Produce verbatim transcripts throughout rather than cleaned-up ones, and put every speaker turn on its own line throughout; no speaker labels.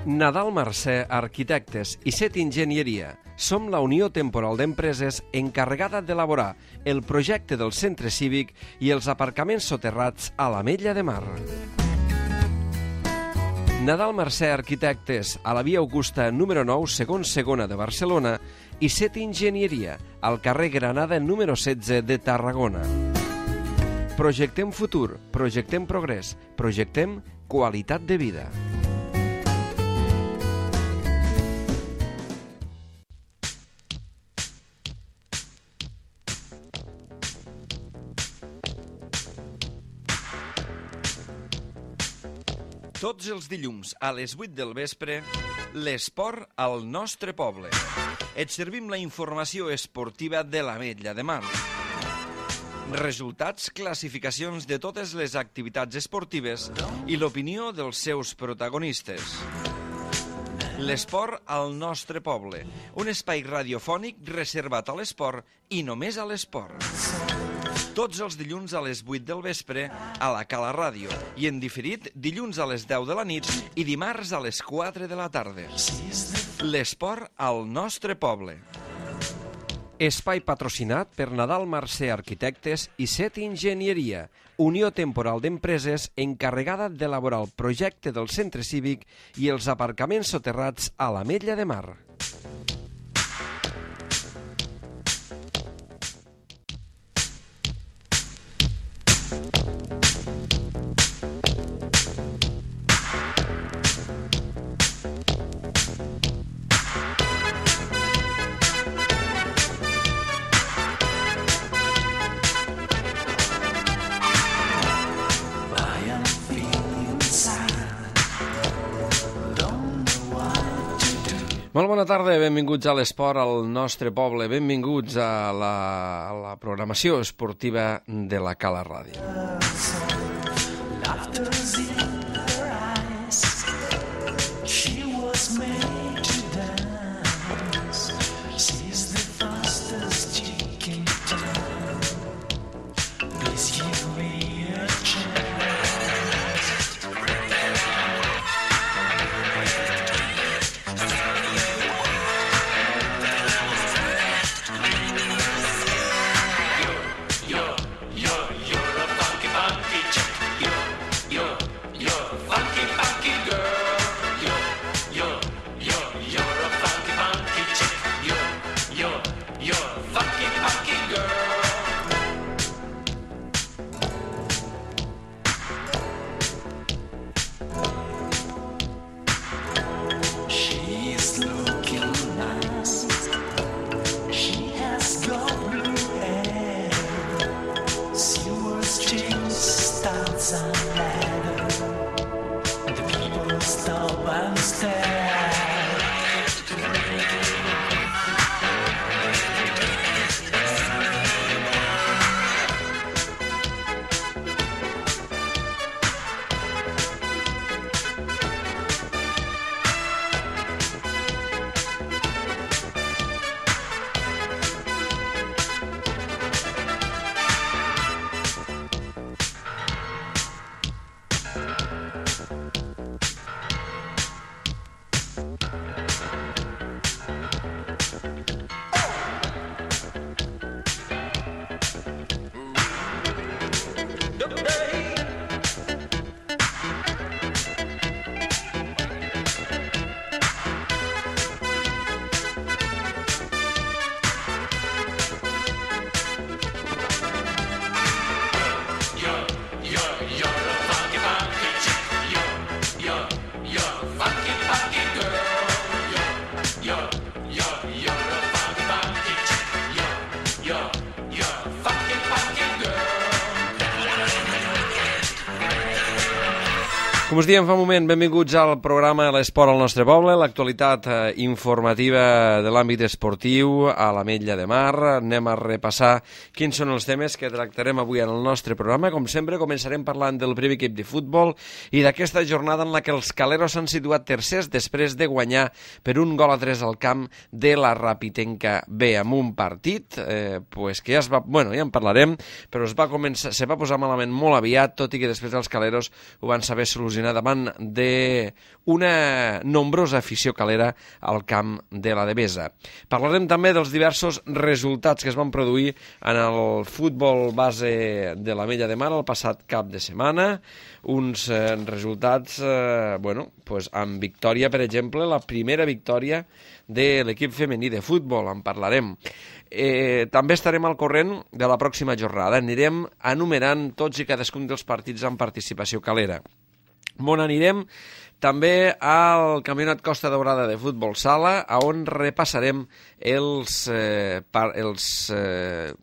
Nadal Mercè Arquitectes i Set Enginyeria. Som la Unió Temporal d'Empreses encarregada d'elaborar el projecte del centre cívic i els aparcaments soterrats a l'Ametlla de Mar. Nadal Mercè Arquitectes, a la via Augusta número nou, segon segona de Barcelona, i Set Enginyeria, al carrer Granada número setze de Tarragona. Projectem futur, projectem progrés, projectem qualitat de vida. Tots els dilluns a les vuit del vespre, l'esport al nostre poble. Et servim la informació esportiva de l'Ametlla de Mar. Resultats, classificacions de totes les activitats esportives i l'opinió dels seus protagonistes. L'esport al nostre poble, un espai radiofònic reservat a l'esport i només a l'esport. Tots els dilluns a les vuit del vespre a la Cala Ràdio i en diferit dilluns a les deu de la nit i dimarts a les quatre de la tarda. L'esport al nostre poble. Espai patrocinat per Nadal Mercè Arquitectes i Set Enginyeria, Unió Temporal d'Empreses encarregada d'elaborar el projecte del centre cívic i els aparcaments soterrats a l'Ametlla de Mar. Molt bona tarda, benvinguts a l'esport al nostre poble, benvinguts a la, a la programació esportiva de la Cala Ràdio. Com us diem fa un moment, benvinguts al programa L'Esport al nostre poble, l'actualitat eh, informativa de l'àmbit esportiu a l'Ametlla de Mar. Anem a repassar quins són els temes que tractarem avui en el nostre programa. Com sempre, començarem parlant del primer equip de futbol i d'aquesta jornada en la que els caleros s'han situat tercers després de guanyar per un gol a tres al camp de la Rapitenca B, amb un partit eh, pues que ja es va, bueno, ja en parlarem, però es va començar, se va posar malament molt aviat, tot i que després els caleros ho van saber solucionar
funcionar davant d'una nombrosa afició calera al camp de la Devesa. Parlarem també dels diversos resultats que es van produir en el futbol base de l'Ametlla de Mar el passat cap de setmana, uns eh, resultats eh, bueno, pues amb victòria, per exemple, la primera victòria de l'equip femení de futbol, en parlarem. Eh, també estarem al corrent de la pròxima jornada. Anirem enumerant tots i cadascun dels partits amb participació calera. On anirem? També al Campionat Costa Daurada de Futbol Sala, on repassarem els, eh, par, els eh,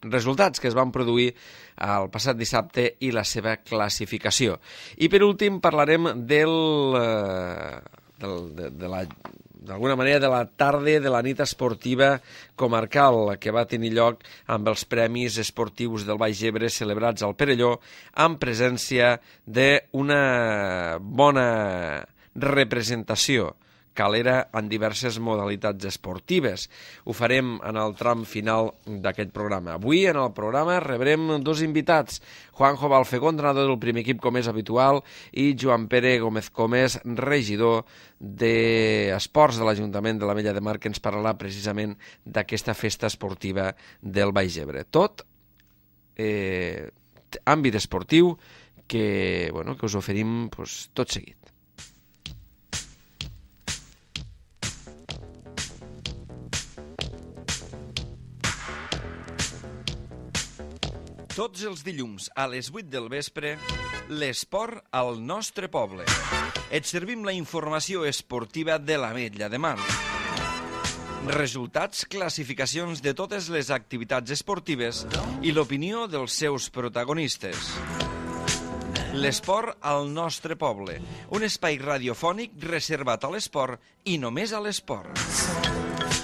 resultats que es van produir el passat dissabte i la seva classificació. I per últim parlarem del, eh, del, de, de la... d'alguna manera de la tarda de la nit esportiva comarcal que va tenir lloc amb els Premis Esportius del Baix Ebre celebrats al Perelló amb presència d'una bona representació calera en diverses modalitats esportives. Ho farem en el tram final d'aquest programa. Avui, en el programa, rebrem dos invitats. Juanjo Balfegó, entrenador del primer equip, com és habitual, i Joan Pere Gómez Comés, regidor d'Esports de l'Ajuntament de l'Ametlla de Mar, que ens parlarà precisament d'aquesta festa esportiva del Baix Ebre. Tot eh, àmbit esportiu que, bueno, que us oferim pues, tot seguit.
Tots els dilluns a les vuit del vespre, l'esport al nostre poble. Et servim la informació esportiva de l'Ametlla de Mar. Resultats, classificacions de totes les activitats esportives i l'opinió dels seus protagonistes. L'esport al nostre poble, un espai radiofònic reservat a l'esport i només a l'esport.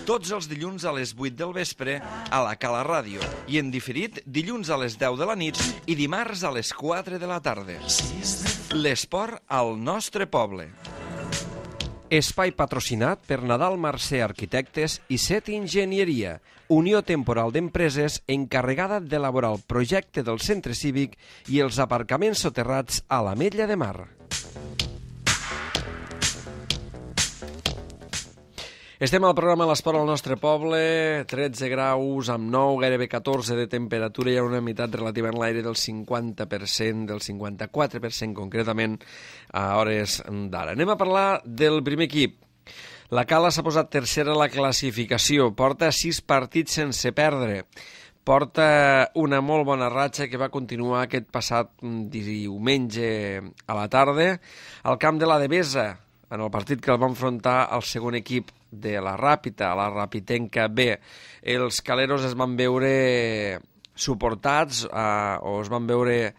Tots els dilluns a les vuit del vespre a la Cala Ràdio i en diferit dilluns a les deu de la nit i dimarts a les quatre de la tarda. L'esport al nostre poble.
Espai patrocinat per Nadal Mercè Arquitectes i Set Enginyeria, unió temporal d'empreses encarregada d'elaborar el projecte del centre cívic i els aparcaments soterrats a l'Ametlla de Mar.
Estem al programa L'Esport al nostre poble, tretze graus amb nou, gairebé catorze de temperatura, hi ha una humitat relativa en l'aire del cinquanta per cent, del cinquanta-quatre per cent concretament a hores d'ara. Anem a parlar del primer equip. La Cala s'ha posat tercera a la classificació, porta sis partits sense perdre, porta una molt bona ratxa que va continuar aquest passat diumenge a la tarda al camp de la Devesa, en el partit que el va enfrontar al segon equip de la Ràpita, la Rapitenca B. Els caleros es van veure suportats eh, o es van veure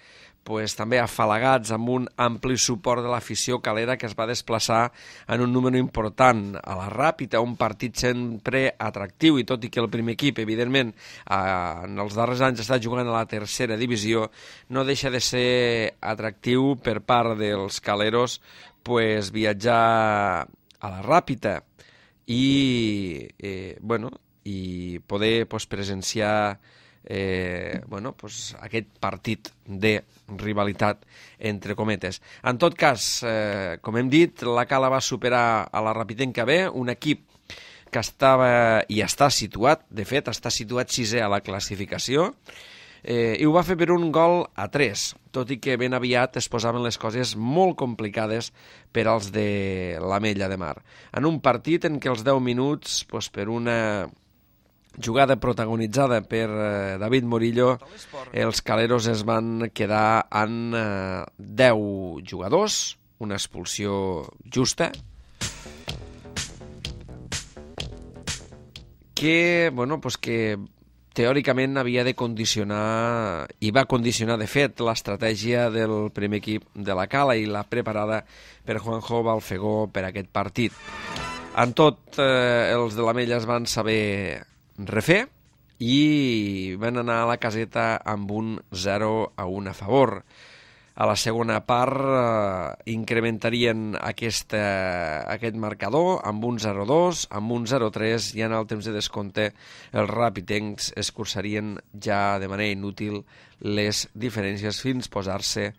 pues, també afalagats amb un ampli suport de l'afició calera que es va desplaçar en un número important a la Ràpita, un partit sempre atractiu, i tot i que el primer equip, evidentment, eh, en els darrers anys està jugant a la tercera divisió, no deixa de ser atractiu per part dels caleros pues, viatjar a la Ràpita i, eh, bueno, i poder pues, presenciar eh, bueno, pues, aquest partit de rivalitat, entre cometes. En tot cas, eh, com hem dit, la Cala va superar a la Rapitenca B, un equip que estava i està situat, de fet, està situat sisè a la classificació, Eh, i ho va fer per un gol a tres, tot i que ben aviat es posaven les coses molt complicades per als de l'Ametlla de Mar. En un partit en què els deu minuts, doncs, per una jugada protagonitzada per eh, David Morillo, els caleros es van quedar en eh, deu jugadors, una expulsió justa, que, bueno, pues que teòricament havia de condicionar, i va condicionar de fet, l'estratègia del primer equip de la Cala i la preparada per Juanjo Balfegó per aquest partit. En tot, eh, els de l'Ametlla es van saber refer i van anar a la caseta amb un zero a un a favor. A la segona part eh, incrementarien aquesta, aquest marcador amb un zero dos, amb un zero tres, i en el temps de descompte els rapitencs escurçarien ja de manera inútil les diferències fins posar-se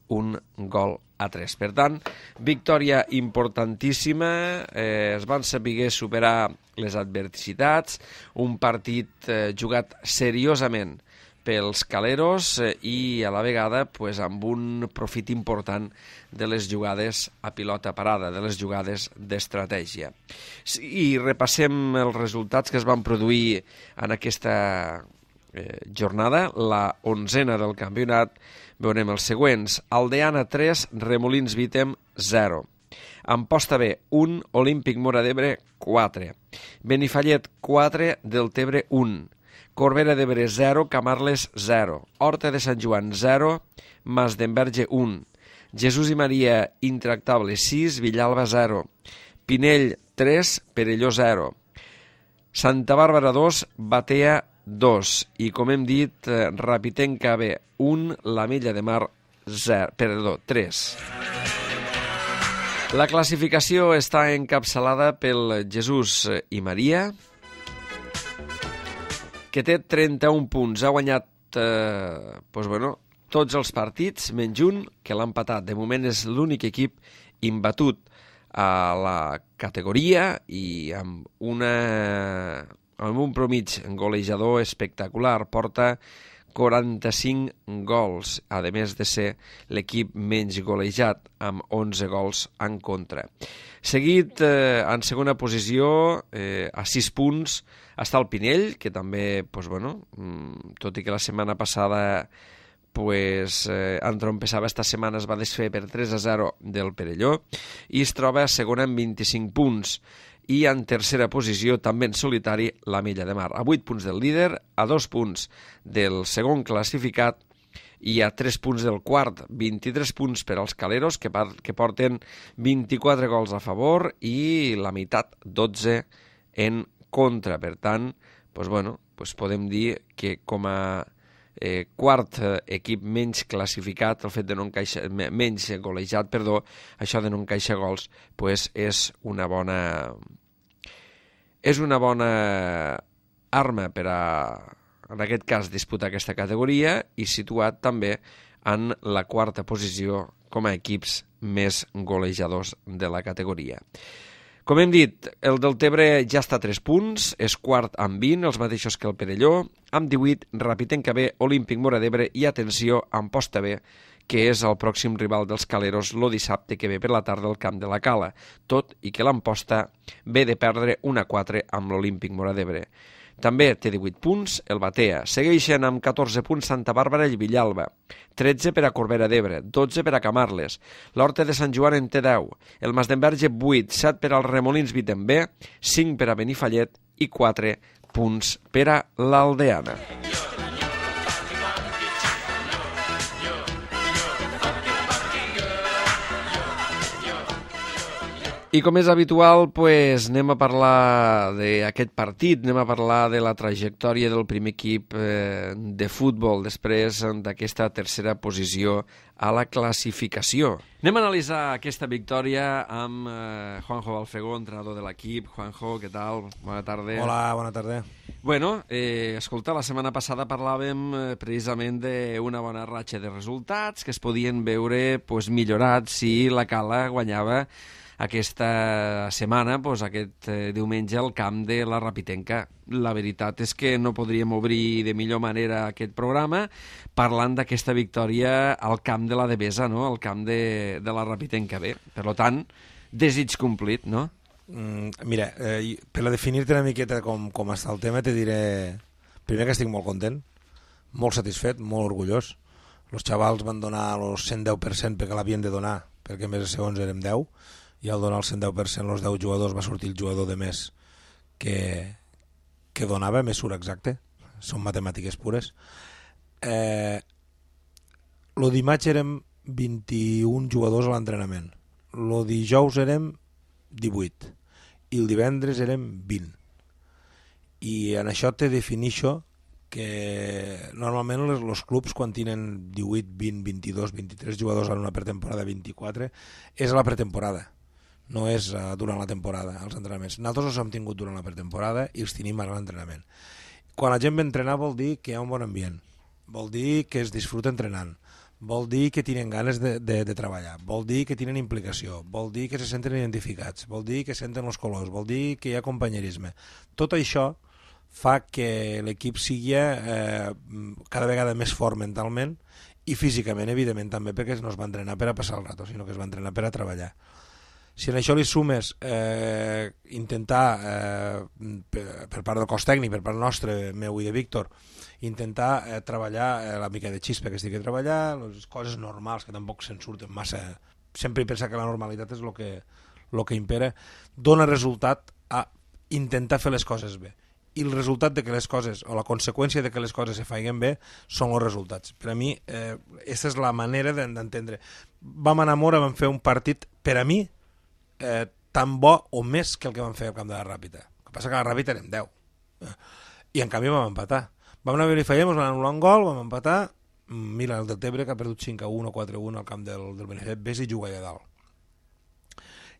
un gol a tres. Per tant, victòria importantíssima, eh, es van saber superar les adversitats, un partit eh, jugat seriosament pels caleros eh, i a la vegada pues, amb un profit important de les jugades a pilota parada, de les jugades d'estratègia. I repassem els resultats que es van produir en aquesta eh, jornada, la onzena del campionat. Veurem els següents. Aldeana tres, Remolins Vítem zero. Amposta B un, Olímpic Móra d'Ebre quatre. Benifallet quatre, Deltebre un. Corbera d'Ebre zero, Camarles zero. Horta de Sant Joan zero, Masdenverge un. Jesús i Maria Intractable sis, Villalba zero. Pinell tres, Perelló zero. Santa Bàrbara dos, Batea dos. I com hem dit, eh, Rapitenca B un, l'Ametlla de Mar zero, perdó, tres. La classificació està encapçalada pel Jesús i Maria, que té trenta-un punts. Ha guanyat eh, doncs, bueno, tots els partits, menys un, que l'ha empatat. De moment és l'únic equip imbatut a la categoria i amb, una, amb un promig golejador espectacular. Porta quaranta-cinc gols, a més de ser l'equip menys golejat, amb onze gols en contra. Seguit, eh, en segona posició, eh, a sis punts, està el Pinell, que també, pues, bueno, tot i que la setmana passada pues, eh, entrompessava, esta setmana es va desfer per tres a zero del Perelló, i es troba a segona amb vint-i-cinc punts. I en tercera posició, també en solitari, l'Ametlla de Mar. A vuit punts del líder, a dos punts del segon classificat i a tres punts del quart. vint-i-tres punts per als caleros, que, que porten vint-i-quatre gols a favor i la meitat, dotze, en contra. Per tant, doncs, bueno, doncs podem dir que com a eh, quart equip menys classificat, el fet de no encaixar, menys golejat, perdó, això de no encaixar gols, doncs és una bona és una bona arma per a, en aquest cas, disputar aquesta categoria i situat també en la quarta posició com a equips més golejadors de la categoria. Com hem dit, el Deltebre ja està a tres punts, és quart amb vint, els mateixos que el Perelló, amb divuit, Rapitenca B, Olímpic Móra d'Ebre i, atenció, Amposta B, que és el pròxim rival dels caleros el dissabte que ve per la tarda al camp de la Cala, tot i que l'Amposta ve de perdre un a quatre amb l'Olímpic Móra d'Ebre. També té divuit punts el Batea. Segueixen amb catorze punts Santa Bàrbara i Villalba, tretze per a Corbera d'Ebre, dotze per a Camarles. L'Horta de Sant Joan en té deu, el Masdenverge vuit, set per als Remolins Vítem B, cinc per a Benifallet i quatre punts per a l'Aldeana. I com és habitual, pues, anem a parlar d'aquest partit, anem a parlar de la trajectòria del primer equip eh, de futbol després d'aquesta tercera posició a la classificació. Anem a analitzar aquesta victòria amb eh, Juanjo Balfegó, entrenador de l'equip. Juanjo, què tal? Bona tarda.
Hola, bona tarda.
Bueno, eh, escolta, la setmana passada parlàvem eh, precisament d'una bona ratxa de resultats que es podien veure pues, millorats si la Cala guanyava aquesta setmana, doncs, aquest eh, diumenge, al camp de la Rapitenca. La veritat és que no podríem obrir de millor manera aquest programa parlant d'aquesta victòria al camp de la Devesa, no? Al camp de, de la Rapitenca B. Per tant, desig complit, no?
Mm, mira, eh, per a definir-te una miqueta com, com està el tema, te diré primer que estic molt content, molt satisfet, molt orgullós. Els xavals van donar el cent deu per cent perquè l'havien de donar, perquè més de segons érem deu, i al donar el cent deu per cent els deu jugadors va sortir el jugador de més que, que donava, més surt exacte, són matemàtiques pures. Eh, lo dimarts érem vint-i-un jugadors a l'entrenament, lo dijous érem divuit i el divendres érem vint, i en això te definixo que normalment els, els clubs quan tenen divuit, vint, vint-i-dos, vint-i-tres jugadors en una pretemporada, vint-i-quatre, és a la pretemporada, no és uh, durant la temporada, els entrenaments. Nosaltres els hem tingut durant la pretemporada i els tenim ara a l'entrenament. Quan la gent ve a entrenar vol dir que hi ha un bon ambient, vol dir que es disfruta entrenant, vol dir que tenen ganes de, de, de treballar, vol dir que tenen implicació, vol dir que se senten identificats, vol dir que senten els colors, vol dir que hi ha companyerisme. Tot això fa que l'equip sigui eh, cada vegada més fort mentalment i físicament, evidentment, també, perquè no es va entrenar per a passar el rato, sinó que es va entrenar per a treballar. Si en això li sumes eh, intentar, eh, per, per part del cos tècnic, per part nostre, meu i de Víctor, intentar eh, treballar eh, la mica de xispa que estigui a treballar, les coses normals que tampoc se'n surten massa, sempre he pensat que la normalitat és el que, lo que impera, dona resultat a intentar fer les coses bé. I el resultat de que les coses, o la conseqüència de que les coses se feien bé, són els resultats. Per a mi, eh, aquesta és la manera d'entendre. Vam anar a Mora, vam fer un partit, per a mi, eh, tan bo o més que el que vam fer al camp de la Ràpita. El que passa que a la Ràpita anem deu. I en canvi vam empatar. Vam anar a veure i feiem, ens van anul·lar un gol, vam empatar. Mira, el del Tebre, que ha perdut cinc a un o quatre a un al camp del, del Benefet, ves i juga allà dalt.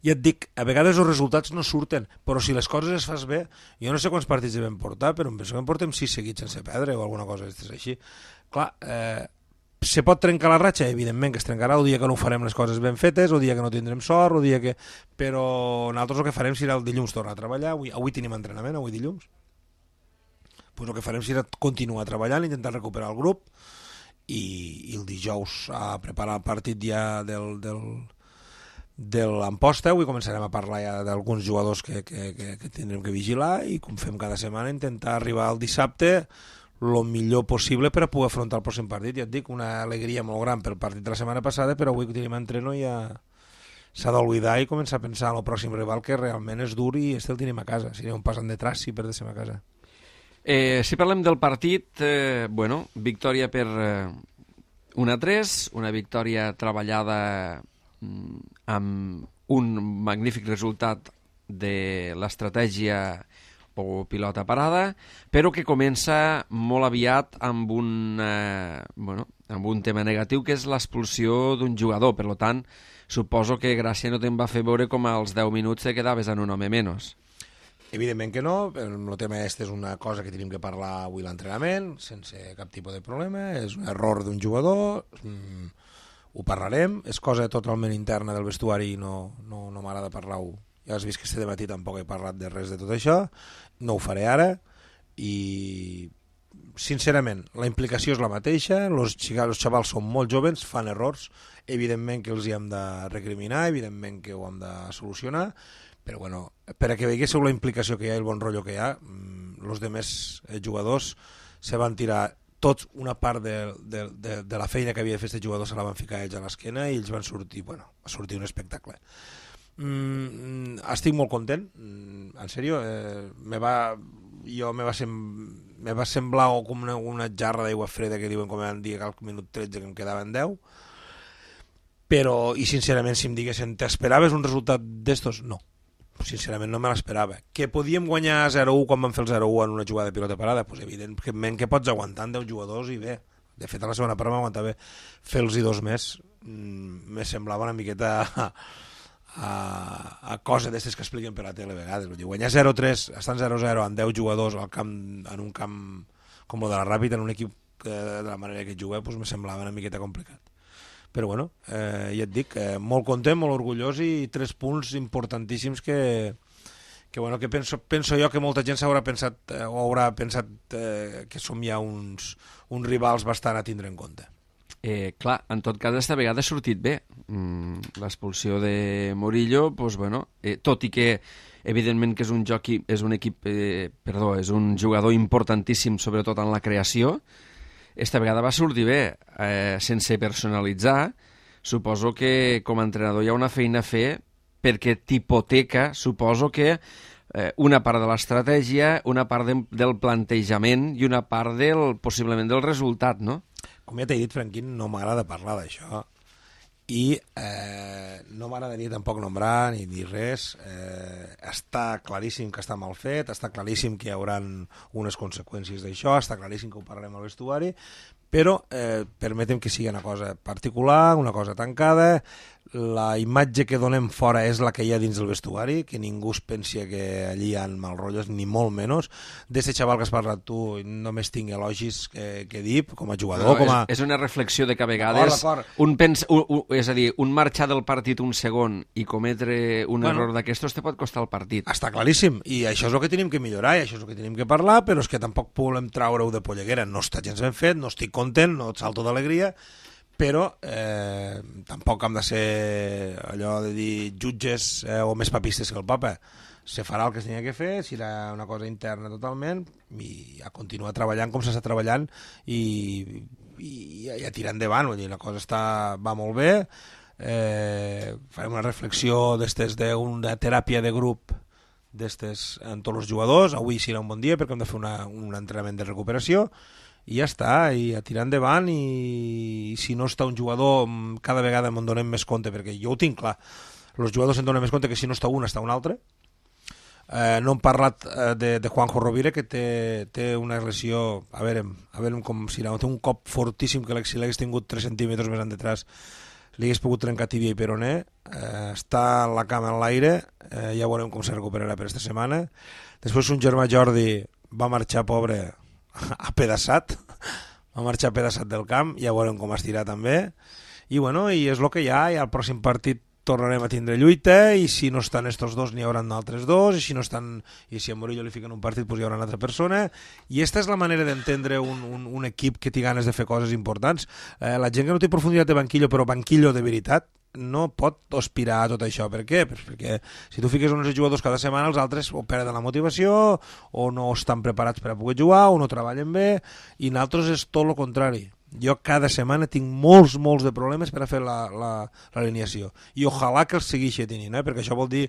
I et dic, a vegades els resultats no surten, però si les coses es fas bé, jo no sé quants partits devem portar, però em penso que en portem sis seguits sense perdre o alguna cosa així. Clar, eh, se pot trencar la ratxa? Evidentment que es trencarà el dia que no farem les coses ben fetes, el dia que no tindrem sort, el dia que... però nosaltres el que farem serà el dilluns tornar a treballar, avui, avui tenim entrenament, avui dilluns, pues el que farem serà continuar treballant, intentar recuperar el grup i, i el dijous a preparar el partit ja del... del de l'Amposta, avui començarem a parlar ja d'alguns jugadors que, que, que, que tindrem que vigilar i com fem cada setmana intentar arribar al dissabte el millor possible per a poder afrontar el pròxim partit. Ja et dic, una alegria molt gran pel partit de la setmana passada, però avui que tenim entreno ja s'ha d'oblidar i començar a pensar en el pròxim rival que realment és dur i este el tenim a casa, si no un passant de traç si perdéssim a casa.
Eh, si parlem del partit, eh, bueno, victòria per eh, un a tres, una victòria treballada amb un magnífic resultat de l'estratègia o pilota parada, però que comença molt aviat amb un, eh, bueno, amb un tema negatiu, que és l'expulsió d'un jugador. Per tant, suposo que Gràcia no te'n va fer veure com als deu minuts te quedaves en un home menys.
Evidentment que no, el tema este és una cosa que tenim que parlar avui a l'entrenament, sense cap tipus de problema, és un error d'un jugador, mmm, ho parlarem, és cosa totalment interna del vestuari i no, no, no m'agrada parlar-ho. Ja has vist que este dematí tampoc he parlat de res de tot això, no ho faré ara i sincerament la implicació és la mateixa, els xavals són molt joves, fan errors, evidentment que els hi hem de recriminar, evidentment que ho hem de solucionar, però bueno, per a que veiéssiu la implicació que hi ha i el bon rotllo que hi ha, els demés jugadors se van tirar tots una part de, de, de, de la feina que havia de fer aquest jugador se la van ficar ells a l'esquena i ells van sortir, bueno, va sortir un espectacle. Mm, estic molt content, mm, en sèrio, eh, me va, jo me va, sem, me va semblar com una, una jarra d'aigua freda que diuen com van dir que al minut tretze que em quedaven deu, però, i sincerament, si em diguessin, t'esperaves un resultat d'estos? No. Sincerament no me l'esperava. Que podíem guanyar zero a u quan vam fer el zero a u en una jugada de pilota parada? Pues evidentment que pots aguantar en deu jugadors i bé. De fet, a la segona part m'aguantava fer-los i dos més. Mm, me semblava una miqueta a, a, a cosa d'estes que expliquen per la tele a vegades. Vull dir, guanyar zero a tres, estan zero a zero amb deu jugadors al camp, en un camp com el de la Ràpita, en un equip que, de la manera que juga, pues me semblava una miqueta complicat. Però bueno, eh, ja et dic, eh, molt content, molt orgullós i tres punts importantíssims que, que, bueno, que penso, penso jo que molta gent s'haurà pensat eh, o haurà pensat eh, que som ja uns, uns rivals bastant a tindre en compte.
Eh, clar, en tot cas, esta vegada ha sortit bé. Mm, l'expulsió de Murillo, pues, bueno, eh, tot i que evidentment que és un, joc, és un equip, eh, perdó, és un jugador importantíssim, sobretot en la creació, esta vegada va sortir bé, eh, sense personalitzar. Suposo que com a entrenador hi ha una feina a fer perquè t'hipoteca, suposo que eh, una part de l'estratègia, una part de, del plantejament i una part del, possiblement del resultat, no?
Com ja t'he dit, Franquín, no m'agrada parlar d'això i eh, no m'agradaria tampoc nombrar ni dir res. Eh, està claríssim que està mal fet, està claríssim que hi haurà unes conseqüències d'això, està claríssim que ho parlarem al vestuari, però eh, permetem que sigui una cosa particular, una cosa tancada, la imatge que donem fora és la que hi ha dins del vestuari, que ningú es pensi que allí hi ha mal rotllos, ni molt menys. D'aquest xaval que has parlat tu, només tinc elogis que, que dir, com a jugador,
no,
com a...
És, és una reflexió de que a vegades un pens, un, un, és a dir, un marxar del partit un segon i cometre un bueno, error d'aquestos te pot costar el partit.
Està claríssim, i això és el que tenim que millorar, i això és el que tenim que parlar, però és que tampoc volem traure-ho de polleguera. No està gens ben fet, no estic content, no et salto d'alegria, però eh, tampoc hem de ser allò de dir jutges eh, o més papistes que el papa. Se farà el que es tenia que fer, serà una cosa interna totalment, i a continuar treballant com s'està treballant i, i, i a tirar endavant. Vull dir, la cosa està, va molt bé, eh, farem una reflexió d'estes d'una teràpia de grup d'estes en tots els jugadors. Avui serà un bon dia perquè hem de fer una, un entrenament de recuperació, i ja està, i a tirar endavant, i si no està un jugador cada vegada me'n donem més compte, perquè jo ho tinc clar, els jugadors se'n donen més compte que si no està un, està un altre. Eh, no hem parlat eh, de, de Juanjo Rovira, que té, té una lesió, a veure, a veure com si té un cop fortíssim, que si l'hagués tingut tres centímetres més endetrás li hagués pogut trencar tibia i peroné, eh, està en la cama en l'aire, eh, ja veurem com se recuperarà per esta setmana. Després un germà Jordi va marxar, pobre, apedaçat, va marxar apedaçat del camp, ja veurem com estirà també, i bueno, i és el que hi ha, i al pròxim partit tornarem a tindre lluita, i si no estan estos dos n'hi haurà altres dos, i si no estan, i si a Murillo li fiquen un partit pues hi haurà una altra persona, i esta és la manera d'entendre un, un, un equip que té ganes de fer coses importants. Eh, la gent que no té profunditat de banquillo, però banquillo de veritat, no pot aspirar a tot això. Per què? Pues perquè si tu fiques uns jugadors cada setmana, els altres o perden la motivació, o no estan preparats per a poder jugar, o no treballen bé, i nosaltres és tot el contrari. Jo cada setmana tinc molts, molts de problemes per a fer l'alineació, i ojalà que els segueixi tenint, eh? Perquè això vol dir,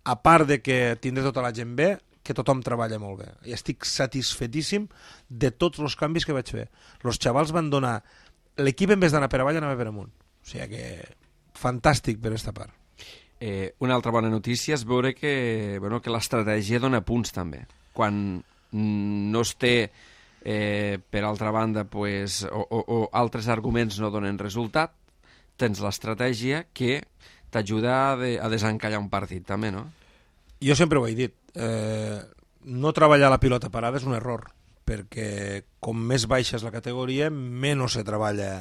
a part de que tindré tota la gent bé, que tothom treballa molt bé. I estic satisfetíssim de tots els canvis que vaig fer. Els xavals van donar... L'equip, en vez d'anar per avall, anava per amunt. O sigui que... fantàstic per aquesta part.
Eh, una altra bona notícia és veure que, bueno, que l'estratègia dona punts també. Quan no es té, eh, per altra banda, pues, o, o, o altres arguments no donen resultat, tens l'estratègia que t'ajuda a, de, a desencallar un partit també, no?
Jo sempre ho he dit. Eh, no treballar la pilota parada és un error, perquè com més baixa és la categoria, menys se treballa,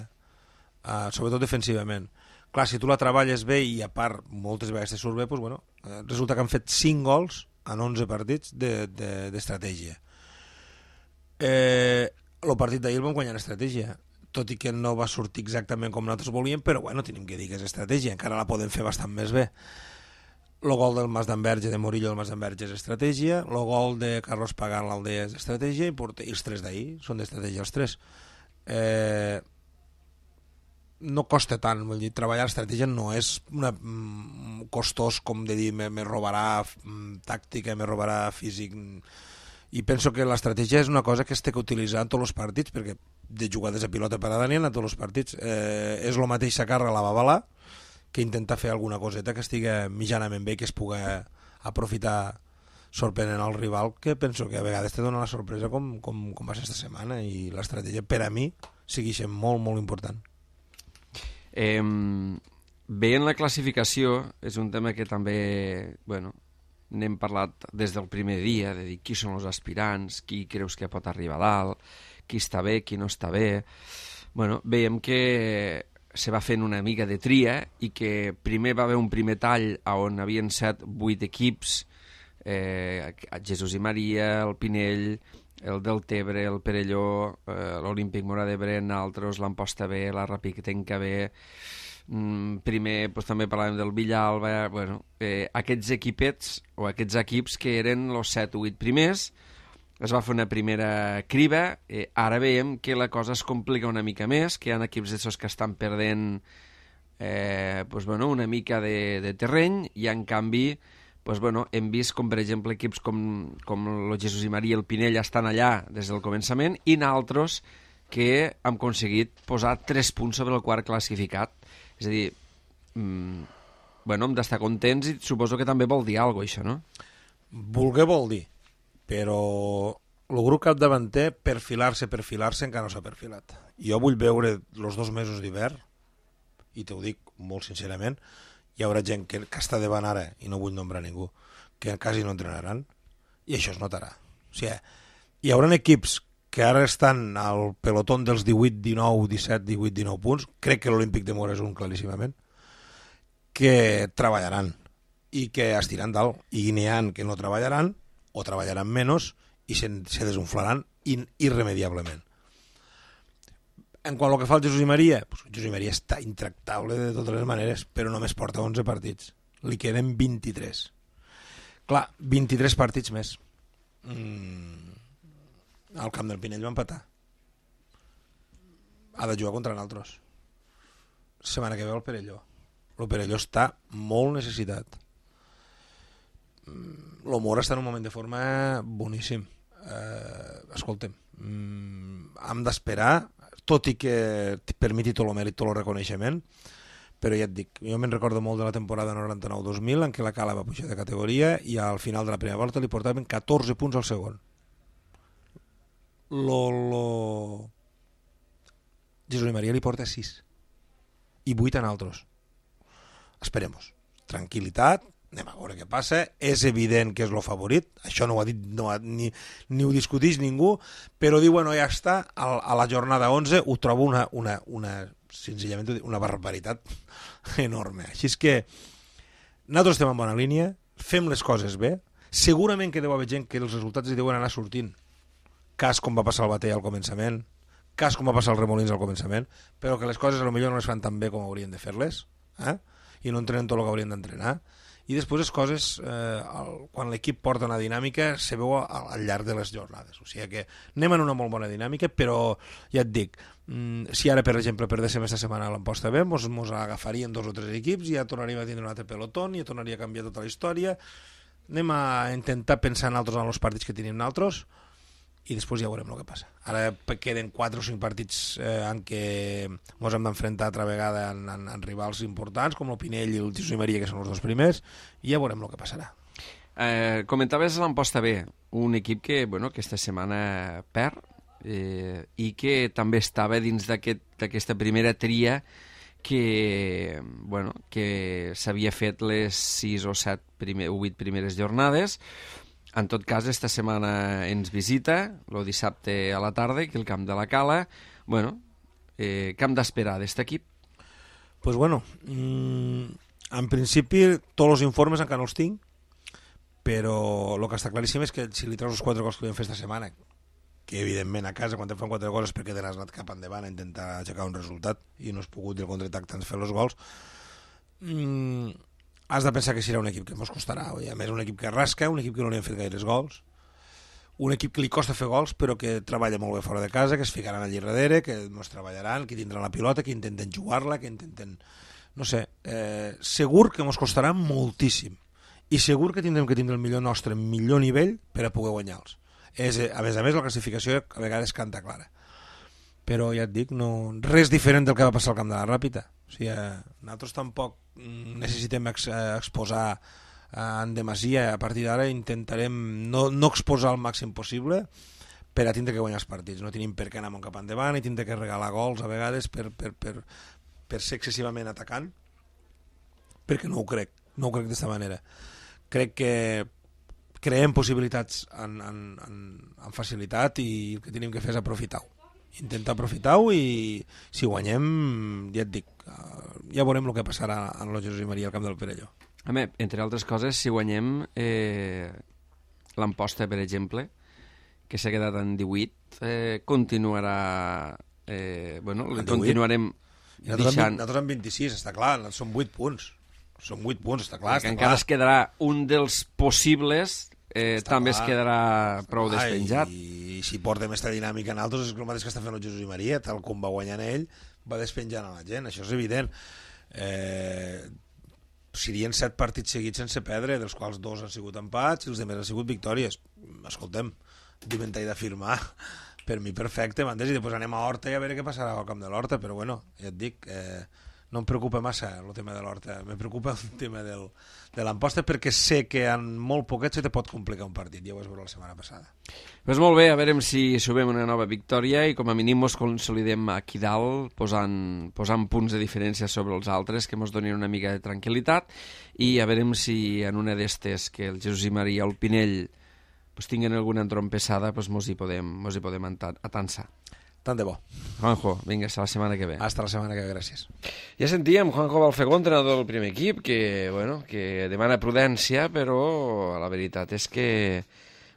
eh, sobretot defensivament. Clar, si tu la treballes bé i a part moltes vegades te surt bé, doncs, bueno, eh, resulta que han fet cinc gols en onze partits d'estratègia. De, de, eh, el partit d'ahir el vam guanyar en estratègia, tot i que no va sortir exactament com nosaltres volíem, però bueno, tenim que dir que és estratègia, encara la podem fer bastant més bé. El gol del Mas d'Enverge, de Murillo del Mas d'Enverge, és estratègia, el gol de Carlos Pagán l'Aldea és estratègia, i, i els tres d'ahir són d'estratègia els tres. Eh... no costa tant, vull dir, treballar l'estratègia no és una, mm, costós com de dir me, me robarà mm, tàctica, me robarà físic, i penso que l'estratègia és una cosa que es té que utilitzar en tots els partits, perquè de jugades a pilota parada n'hi ha en tots els partits. Eh, és el mateix sacar-la a la babala que intentar fer alguna coseta que estigui mitjanament bé i que es pugui aprofitar sorprenent al rival, que penso que a vegades te dona la sorpresa com, com, com va ser esta setmana, i l'estratègia per a mi segueix molt, molt important.
Eh, veient la classificació, és un tema que també, bueno, n'hem parlat des del primer dia, de dir qui són els aspirants, qui creus que pot arribar a dalt, qui està bé, qui no està bé. Bueno, veiem que se va fent una mica de tria i que primer va haver un primer tall on havien set vuit equips, eh, Jesús i Maria, el Pinell, el Deltebre, el Perelló, eh, l'Olímpic Móra d'Ebre, altres, l'Amposta B, la Rapitenca B, mm, primer pues, també parlàvem del Villalba, bueno, eh, aquests equipets o aquests equips que eren els set o vuit primers, es va fer una primera criba, eh, ara veiem que la cosa es complica una mica més, que hi ha equips d'aixòs que estan perdent eh, pues, bueno, una mica de, de terreny, i en canvi pues, bueno, hem vist com, per exemple, equips com, com el Jesús i Maria i el Pinell estan allà des del començament, i naltros que hem aconseguit posar tres punts sobre el quart classificat. És a dir, mmm, bueno, hem d'estar contents, i suposo que també vol dir alguna cosa, això, no?
Voler vol dir, però el grup capdavanter perfilar-se, perfilar-se encara no s'ha perfilat. Jo vull veure els dos mesos d'hivern, i t'ho dic molt sincerament, hi haurà gent que, que està davant ara, i no vull nombrar ningú, que quasi no entrenaran, i això es notarà. O sigui, hi haurà equips que ara estan al pelotón dels divuit, dinou, disset, divuit, dinou punts, crec que l'Olímpic de Mora és un claríssimament, que treballaran i que estiran dalt, i n'hi ha que no treballaran o treballaran menys i se, se desunflaran in, irremediablement. En quant al que fa el Jesús i Maria, pues, Jesús i Maria està intractable de totes les maneres, però només porta onze partits, li queden vint-i-tres. Clar, vint-i-tres partits més. Mm, al camp del Pinell va empatar, ha de jugar contra nosaltres, setmana que ve el Perelló. El Perelló està molt necessitat. El Mora està en un moment de forma boníssim. Eh, escolta'm, mm, hem d'esperar, tot i que et permeti tot el mèrit, tot el reconeixement, però ja et dic, jo me'n recordo molt de la temporada noranta-nou dos mil en què la Cala va pujar de categoria i al final de la primera volta li portaven catorze punts al segon. Lo, lo... Jesús i Maria li porta sis i vuit en altres. Esperemos. Tranquil·litat, anem a veure què passa. És evident que és el favorit, això no ho ha dit, no ha, ni, ni ho discuteix ningú, però diu, bueno, ja està, a, a la jornada onze ho trobo una, una, una, senzillament una barbaritat enorme. Així és que nosaltres estem en bona línia, fem les coses bé, segurament que deu haver gent que els resultats hi deuen anar sortint, cas com va passar el Batell al començament, cas com va passar el Remolins al començament, però que les coses potser no les fan tan bé com haurien de fer-les, eh? I no entrenen tot el que haurien d'entrenar. I després les coses, eh, el, quan l'equip porta una dinàmica, se veu al, al llarg de les jornades. O sigui que anem en una molt bona dinàmica, però ja et dic, mm, si ara, per exemple, perdéssim aquesta setmana a l'Amposta B, mos, mos agafarien dos o tres equips i ja tornaríem a tindre un altre pelotón i ja tornaria a canviar tota la història. Anem a intentar pensar en altres en els partits que tenim nosaltres i després ja veurem el que passa. Ara queden quatre o cinc partits eh, en què ens hem d'enfrontar altra vegada en, en, en rivals importants, com el Pinell i el Jesús i Maria, que són els dos primers, i ja veurem el que passarà.
Eh, comentaves l'Amposta B, un equip que, bueno, aquesta setmana perd eh, i que també estava dins d'aquesta aquest, primera tria que, bueno, que s'havia fet les sis o set primer, o vuit primeres jornades. En tot cas, esta setmana ens visita, el dissabte a la tarda, aquí al camp de la Cala. Bueno, eh, què hem d'esperar d'aquest equip?
Pues bueno, mmm, en principi tots els informes encara no els tinc, però el que està claríssim és que si li treus els quatre gols que vam fer esta setmana, que evidentment a casa quan te fan quatre gols és perquè te n'has anat cap endavant a intentar aixecar un resultat i no has pogut del contraatac tant fer els gols, mmm, has de pensar que serà un equip que ens costarà. A més, un equip que rasca, un equip que no li han fet gaires gols, un equip que li costa fer gols però que treballa molt bé fora de casa, que es ficaran allà darrere, que ens treballaran, que tindran la pilota, que intenten jugar-la, que intenten... No sé, eh, segur que ens costarà moltíssim i segur que tindrem que tindre el millor nostre millor nivell per a poder guanyar-los. És, a més a més, la classificació a vegades canta clara. Però ja et dic, no, res diferent del que va passar al camp de la Ràpita. O sigui, nosaltres tampoc necessitem ex, exposar en demasia. A partir d'ara intentarem no, no exposar el màxim possible per a tindre que guanyar els partits. No tenim per què anar cap endavant i tindre que regalar gols a vegades per, per, per, per ser excessivament atacant, perquè no ho crec, no ho crec d'aquesta manera. Crec que creem possibilitats en, en, en, en facilitat i el que tenim que fer és aprofitar-ho. Intentar aprofitar-ho i si guanyem, ja et dic, ja veurem el que passarà en el Jesús i Maria al camp del Perelló.
Home, entre altres coses, si guanyem eh, l'Amposta, per exemple, que s'ha quedat en divuit, eh, continuarà... Eh, bueno, continuarem
deixant... Nosaltres en vint-i-sis, està clar, són vuit punts. Són vuit punts, està clar.
Està encara clar. Es quedarà un dels possibles... Eh, també clar. Es quedarà prou ah, despenjat.
I, i si portem aquesta dinàmica en altres és el mateix que està fent el Jesús i Maria, tal com va guanyant ell, va despenjant a la gent, això és evident. Eh, serien set partits seguits sense perdre, dels quals dos han sigut empats i els altres han sigut victòries. Escoltem, dimentall d'afirmar, per mi perfecte, m'entens? I després anem a Horta i a veure què passarà al camp de l'Horta, però bueno, ja et dic, eh, no em preocupa massa el tema de l'Horta, me preocupa el tema del, de l'Amposta, perquè sé que en molt poquet se te pot complicar un partit, ja ho vas veure la setmana passada.
Pues molt bé, a veure si subem una nova victòria i com a mínim ens consolidem aquí dalt posant, posant punts de diferència sobre els altres que ens donin una mica de tranquil·litat, i a veure si en una d'estes que el Jesús i Maria o el Pinell pues, tinguen alguna entrompessada, pues, mos hi podem, mos hi podem atansar.
Tant de bo.
Juanjo, vinga, hasta la setmana que ve.
Hasta la setmana que ve, gràcies.
Ja sentíem Juanjo Balfegó, entrenador del primer equip, que, bueno, que demana prudència, però la veritat és que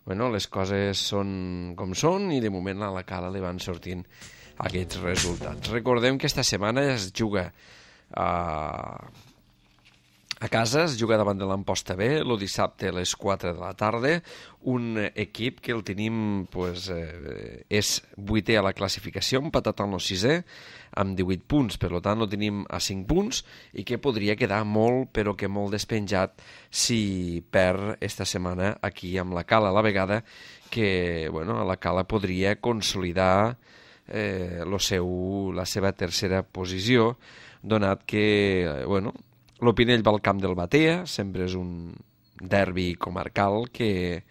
bueno, les coses són com són i de moment a la Cala li van sortint aquests resultats. Recordem que esta setmana es juga a... A casa es juga davant de l'Amposta B, el dissabte a les quatre de la tarda, un equip que el tenim, pues, eh, és vuitè a la classificació, empatat amb el sisè, amb divuit punts, per tant el tenim a cinc punts, i que podria quedar molt, però que molt despenjat si perd esta setmana aquí amb la Cala, a la vegada que bueno, la Cala podria consolidar eh, lo seu, la seva tercera posició, donat que, bueno, l'Opinell va al camp del Batea, sempre és un derbi comarcal que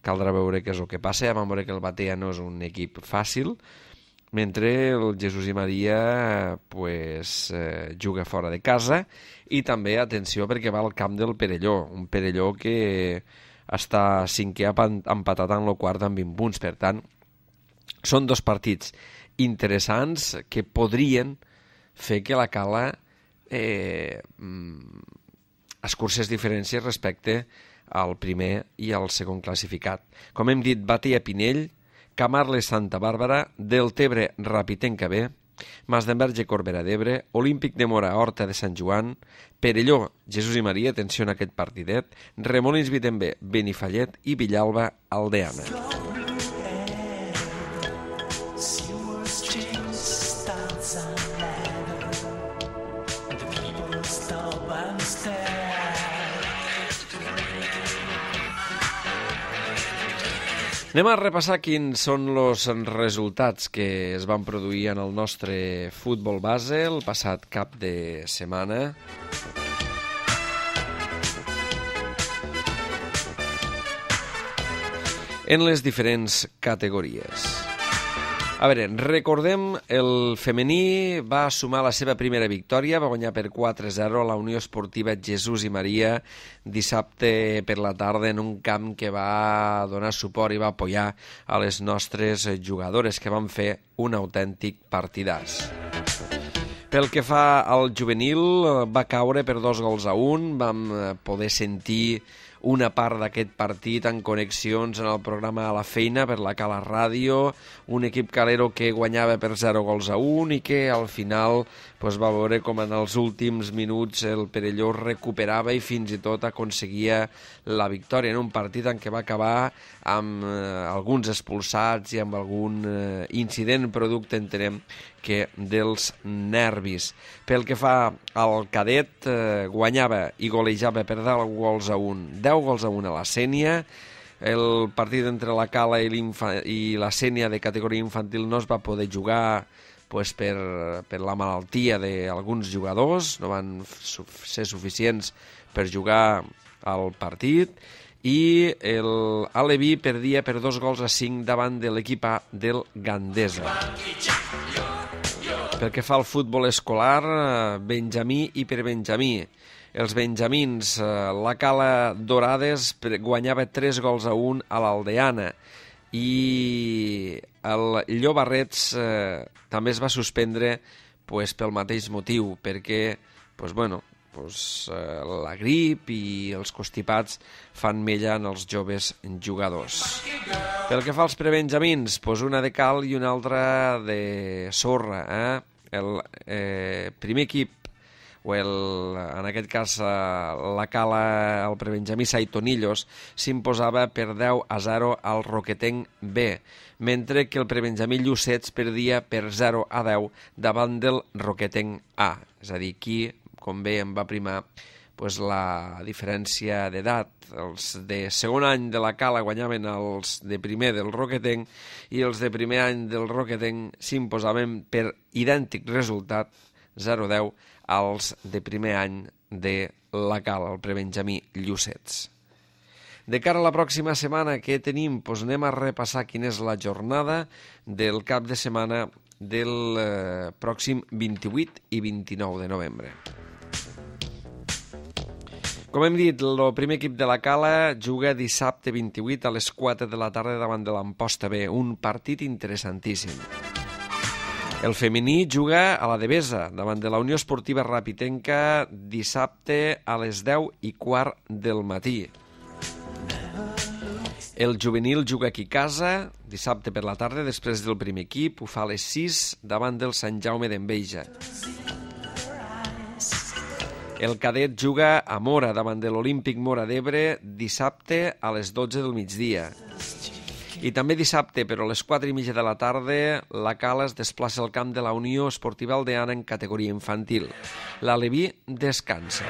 caldrà veure què és el que passa. Ja vam veure que el Batea no és un equip fàcil, mentre el Jesús i Maria pues, eh, juga fora de casa, i també, atenció, perquè va al camp del Perelló, un Perelló que està cinquè empatat en el quart amb vint punts. Per tant, són dos partits interessants que podrien fer que la Cala Eh, escurcés diferències respecte al primer i al segon classificat. Com hem dit, Batea Pinell, Camarles Santa Bàrbara, Deltebre Rapitenca B, Masdenverge Corbera d'Ebre, Olímpic de Mora Horta de Sant Joan, Perelló Jesús i Maria, atenció en aquest partidet, Remolins Vitember Benifallet i Villalba Aldeana. Anem a repassar quins són els resultats que es van produir en el nostre futbol base el passat cap de setmana. En les diferents categories. A veure, recordem, el femení va sumar la seva primera victòria, va guanyar per quatre a zero a la Unió Esportiva Jesús i Maria dissabte per la tarda en un camp que va donar suport i va apoyar a les nostres jugadores, que van fer un autèntic partidàs. Pel que fa al juvenil, va caure per dos gols a un, vam poder sentir una part d'aquest partit en connexions en el programa A la Feina per la Cala Ràdio, un equip calero que guanyava per zero gols a un i que al final pues, va veure com en els últims minuts el Perelló recuperava i fins i tot aconseguia la victòria en un partit en què va acabar amb eh, alguns expulsats i amb algun eh, incident producte, entenem, que dels nervis. Pel que fa al cadet, eh, guanyava i golejava per deu gols a un, deu gols a un a la Sènia. El partit entre la Cala i, i la Sènia de categoria infantil no es va poder jugar pues, per, per la malaltia d'alguns jugadors, no van su ser suficients per jugar al partit, i l'Aleví perdia per dos gols a cinc davant de l'equip A del Gandesa. Pel que fa al futbol escolar, Benjamí i per Benjamí. Els benjamins, la Cala Dorades guanyava tres gols a un a l'Aldeana i el Llobarrets eh, també es va suspendre pues, pel mateix motiu, perquè pues, bueno, pues, eh, la grip i els constipats fan mella en els joves jugadors. Pel que fa als prebenjamins, pues, una de cal i una altra de sorra. Eh? El eh, primer equip, o el, en aquest cas la Cala, el prebenjamí Saitonillos, s'imposava per deu a zero al Roquetenc B, mentre que el prebenjamí Llucets perdia per zero a deu davant del Roquetenc A. És a dir, aquí, com bé em va primar pues, la diferència d'edat. Els de segon any de la Cala guanyaven els de primer del Roquetenc i els de primer any del Roquetenc s'imposaven per idèntic resultat zero a deu als de primer any de la Cala, el prebenjamí Llucets. De cara a la pròxima setmana, què tenim? Doncs anem a repassar quina és la jornada del cap de setmana del eh, pròxim vint-i-vuit i vint-i-nou de novembre. Com hem dit, el primer equip de la Cala juga dissabte vint-i-vuit a les quatre de la tarda davant de l'Amposta B, un partit interessantíssim. El femení juga a la Devesa davant de la Unió Esportiva Rapitenca dissabte a les deu i quart del matí. El juvenil juga aquí a casa, dissabte per la tarda, després del primer equip, ho fa a les sis davant del Sant Jaume d'Enveja. El cadet juga a Mora davant de l'Olímpic Mora d'Ebre dissabte a les dotze del migdia. I també dissabte, però a les quatre i mitja de la tarda, la Cala es desplaça al camp de la Unió Esportiva Aldeana en categoria infantil. L'Aleví descansa.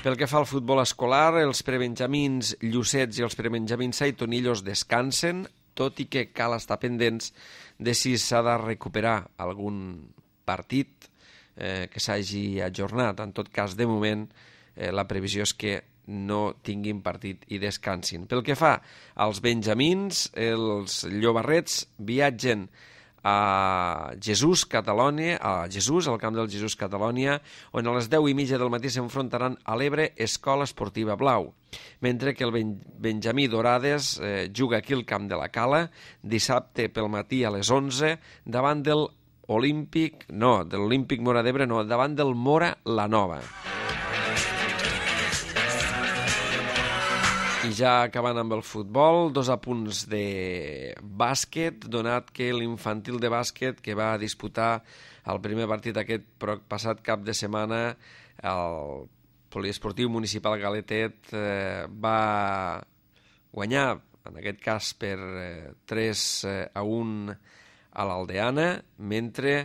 Pel que fa al futbol escolar, els prebenjamins Llucets i els prebenjamins Saitonillos descansen, tot i que cal estar pendents de si s'ha de recuperar algun partit eh, que s'hagi ajornat. En tot cas, de moment, eh, la previsió és que no tinguin partit i descansin. Pel que fa als benjamins, els llobarrets viatgen a Jesús, Catalònia, a Jesús, al camp del Jesús, Catalònia, on a les deu i mitja del matí s'enfrontaran a l'Ebre Escola Esportiva Blau, mentre que el ben Benjamí Dorades eh, juga aquí al camp de la Cala, dissabte pel matí a les onze, davant del Olímpic, no, de l'Olímpic Mora d'Ebre, no, davant del Mora la Nova. I ja acabant amb el futbol, dos apunts de bàsquet, donat que l'infantil de bàsquet que va disputar el primer partit aquest passat cap de setmana, el poliesportiu municipal Galetet eh, va guanyar, en aquest cas per eh, tres a un a l'Aldeana, mentre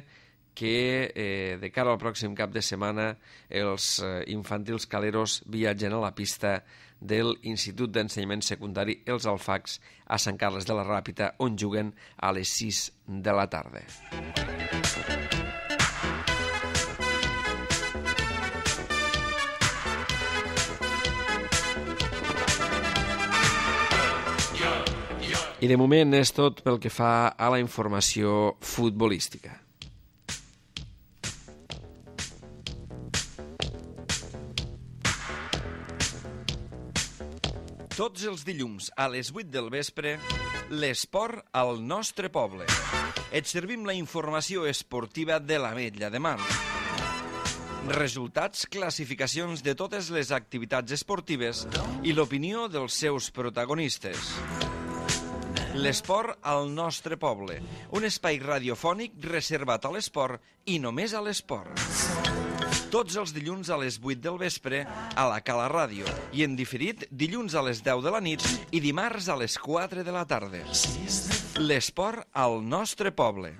que eh, de cara al pròxim cap de setmana els eh, infantils caleros viatgen a la pista de l'Institut d'Ensenyament Secundari Els Alfacs a Sant Carles de la Ràpita, on juguen a les sis de la tarda. I de moment és tot pel que fa a la informació futbolística.
Tots els dilluns a les vuit del vespre, l'esport al nostre poble. Et servim la informació esportiva de l'Ametlla de Mar. Resultats, classificacions de totes les activitats esportives i l'opinió dels seus protagonistes. L'esport al nostre poble, un espai radiofònic reservat a l'esport i només a l'esport. Tots els dilluns a les vuit del vespre a la Cala Ràdio i en diferit dilluns a les deu de la nit i dimarts a les quatre de la tarda. L'esport al nostre poble.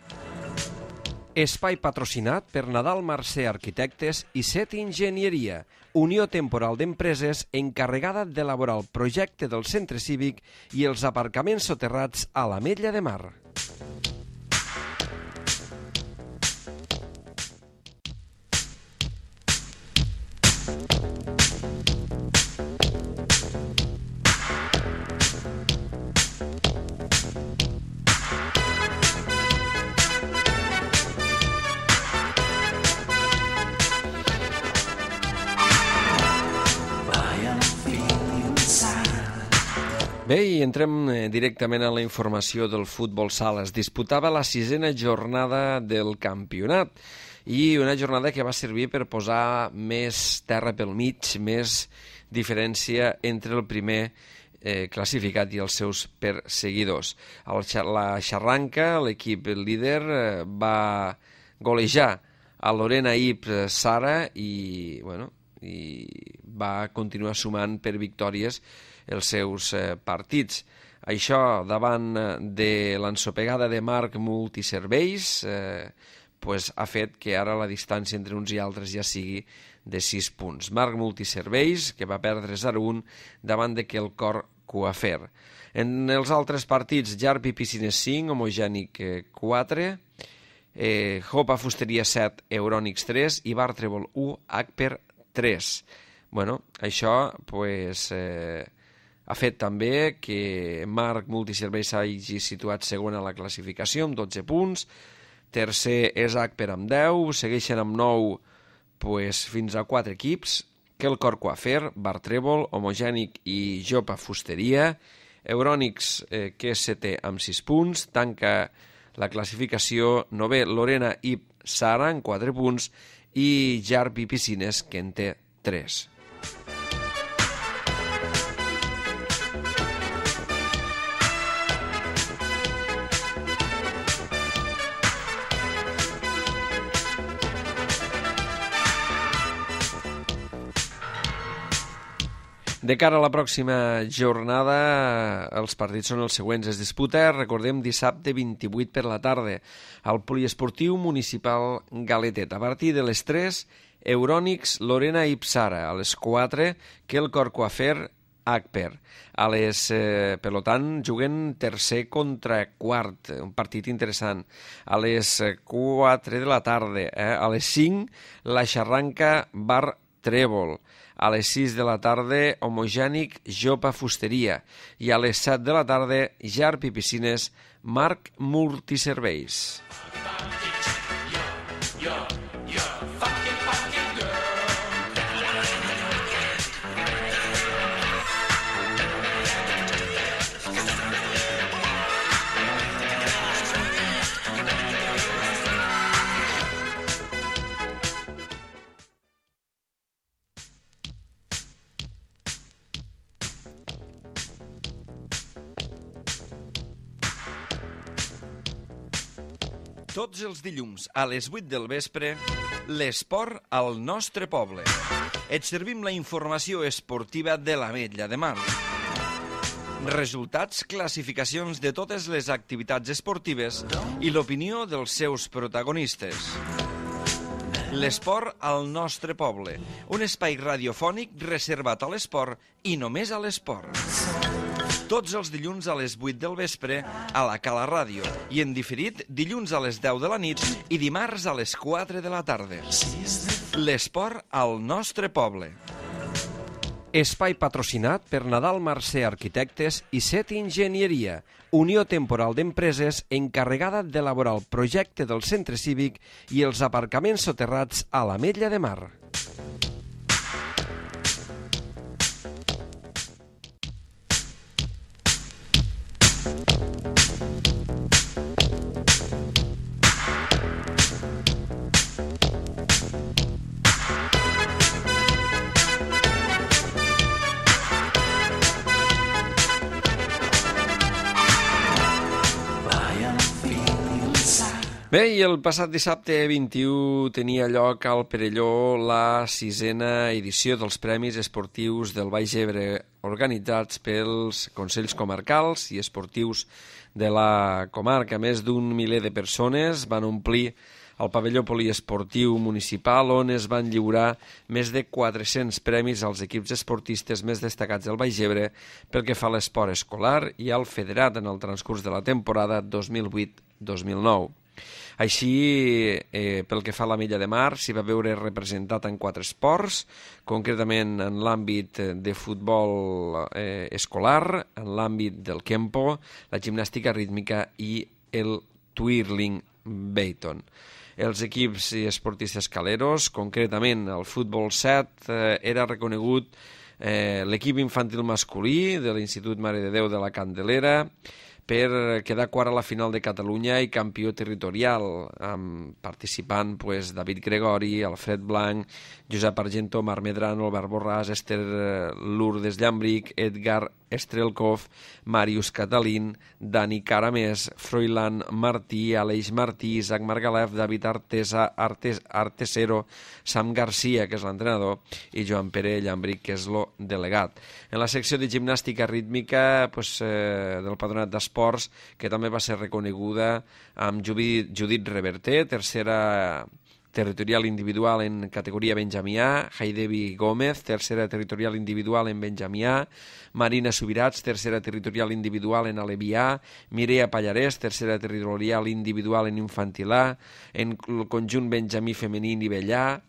Espai patrocinat per Nadal Mercè Arquitectes i Set Enginyeria, unió temporal d'empreses encarregada d'elaborar el projecte del centre cívic i els aparcaments soterrats a l'Ametlla de Mar.
Bé, i entrem directament a la informació del futbol sala. Es disputava la sisena jornada del campionat i una jornada que va servir per posar més terra pel mig, més diferència entre el primer eh, classificat i els seus perseguidors. El, la Xarranca, l'equip líder, eh, va golejar a Lorena Ip Sara i, bueno, i va continuar sumant per victòries els seus eh, partits. Això davant de l'ensopegada de Marc Multiserveis eh, pues, ha fet que ara la distància entre uns i altres ja sigui de sis punts. Marc Multiserveis, que va perdre zero a un davant de que el Cor Coafer. En els altres partits, Jarpi Piscines cinc, Homogènic quatre, eh, Jopa Fusteria set, Eurònics tres i Bar Trèvol u, Agper tres. Bueno, això pues, eh, ha fet també que Marc Multiserveis hagi situat segon a la classificació amb dotze punts, tercer és Agper amb deu, segueixen amb nou pues, fins a quatre equips, Quelcor Coafer, Bar Trèvol, Homogènic i Jopa Fusteria, Eurònics, eh, que és setè amb sis punts, tanca la classificació novè Lorena i Sara amb quatre punts i Jarpi Piscines, que en té tres. De cara a la pròxima jornada, els partits són els següents. Es disputa, recordem, dissabte vint-i-vuit per la tarda al Poliesportiu Municipal Galetet. A partir de les tres, Eurònics, Lorena i Psara. A les quatre, Quelcor Coafer, Agper. A les, eh, per tant, juguen tercer contra quart, un partit interessant. A les quatre de la tarda, eh? A les cinc, la Xarranca Bar Trèvol. A les sis de la tarda, Homogènic Jopa Fusteria. I a les set de la tarda, Jarpi Piscines, Marc Multiserveis.
Tots els dilluns a les vuit del vespre, l'esport al nostre poble. Et servim la informació esportiva de l'Ametlla de Mar. Resultats, classificacions de totes les activitats esportives i l'opinió dels seus protagonistes. L'esport al nostre poble, un espai radiofònic reservat a l'esport i només a l'esport. Tots els dilluns a les vuit del vespre a la Cala Ràdio i en diferit dilluns a les deu de la nit i dimarts a les quatre de la tarda. L'esport al nostre poble.
Espai patrocinat per Nadal Mercè Arquitectes i Set Enginyeria, unió temporal d'empreses encarregada d'elaborar el projecte del centre cívic i els aparcaments soterrats a l'Ametlla de Mar.
Bé, i el passat dissabte vint-i-u tenia lloc al Perelló la sisena edició dels Premis Esportius del Baix Ebre, organitzats pels Consells Comarcals i Esportius de la comarca. Més d'un miler de persones van omplir el pavelló poliesportiu municipal, on es van lliurar més de quatre-cents premis als equips esportistes més destacats del Baix Ebre pel que fa a l'esport escolar i al federat en el transcurs de la temporada dos mil vuit dos mil nou. Així, eh, pel que fa a l'Ametlla de Mar, s'hi va veure representat en quatre esports, concretament en l'àmbit de futbol eh, escolar, en l'àmbit del kempo, la gimnàstica rítmica i el twirling Baton. Els equips i esportistes caleros, concretament el futbol set, eh, era reconegut eh, l'equip infantil masculí de l'Institut Mare de Déu de la Candelera, per quedar quart a la final de Catalunya i campió territorial, amb participant pues, David Gregori, Alfred Blanc, Josep Argento, Marc Medrano, Albert Borràs, Esther Lourdes Llambric, Edgar Estrelkov, Màrius Catalín, Dani Caramés, Froilan Martí, Aleix Martí, Isaac Margalef, David Artesa, Artes, Artesero, Sam Garcia, que és l'entrenador, i Joan Pere Llambric, que és el delegat. En la secció de gimnàstica rítmica pues, eh, del Patronat d'Esports, que també va ser reconeguda amb Judit, Judit Reverter, tercera territorial individual en categoria Benjamí A, Haidevi Gómez, tercera territorial individual en Benjamí A, Marina Subirats, tercera territorial individual en Aleví A, Mireia Pallarès, tercera territorial individual en Infantil A, en el conjunt Benjamí femení nivell A,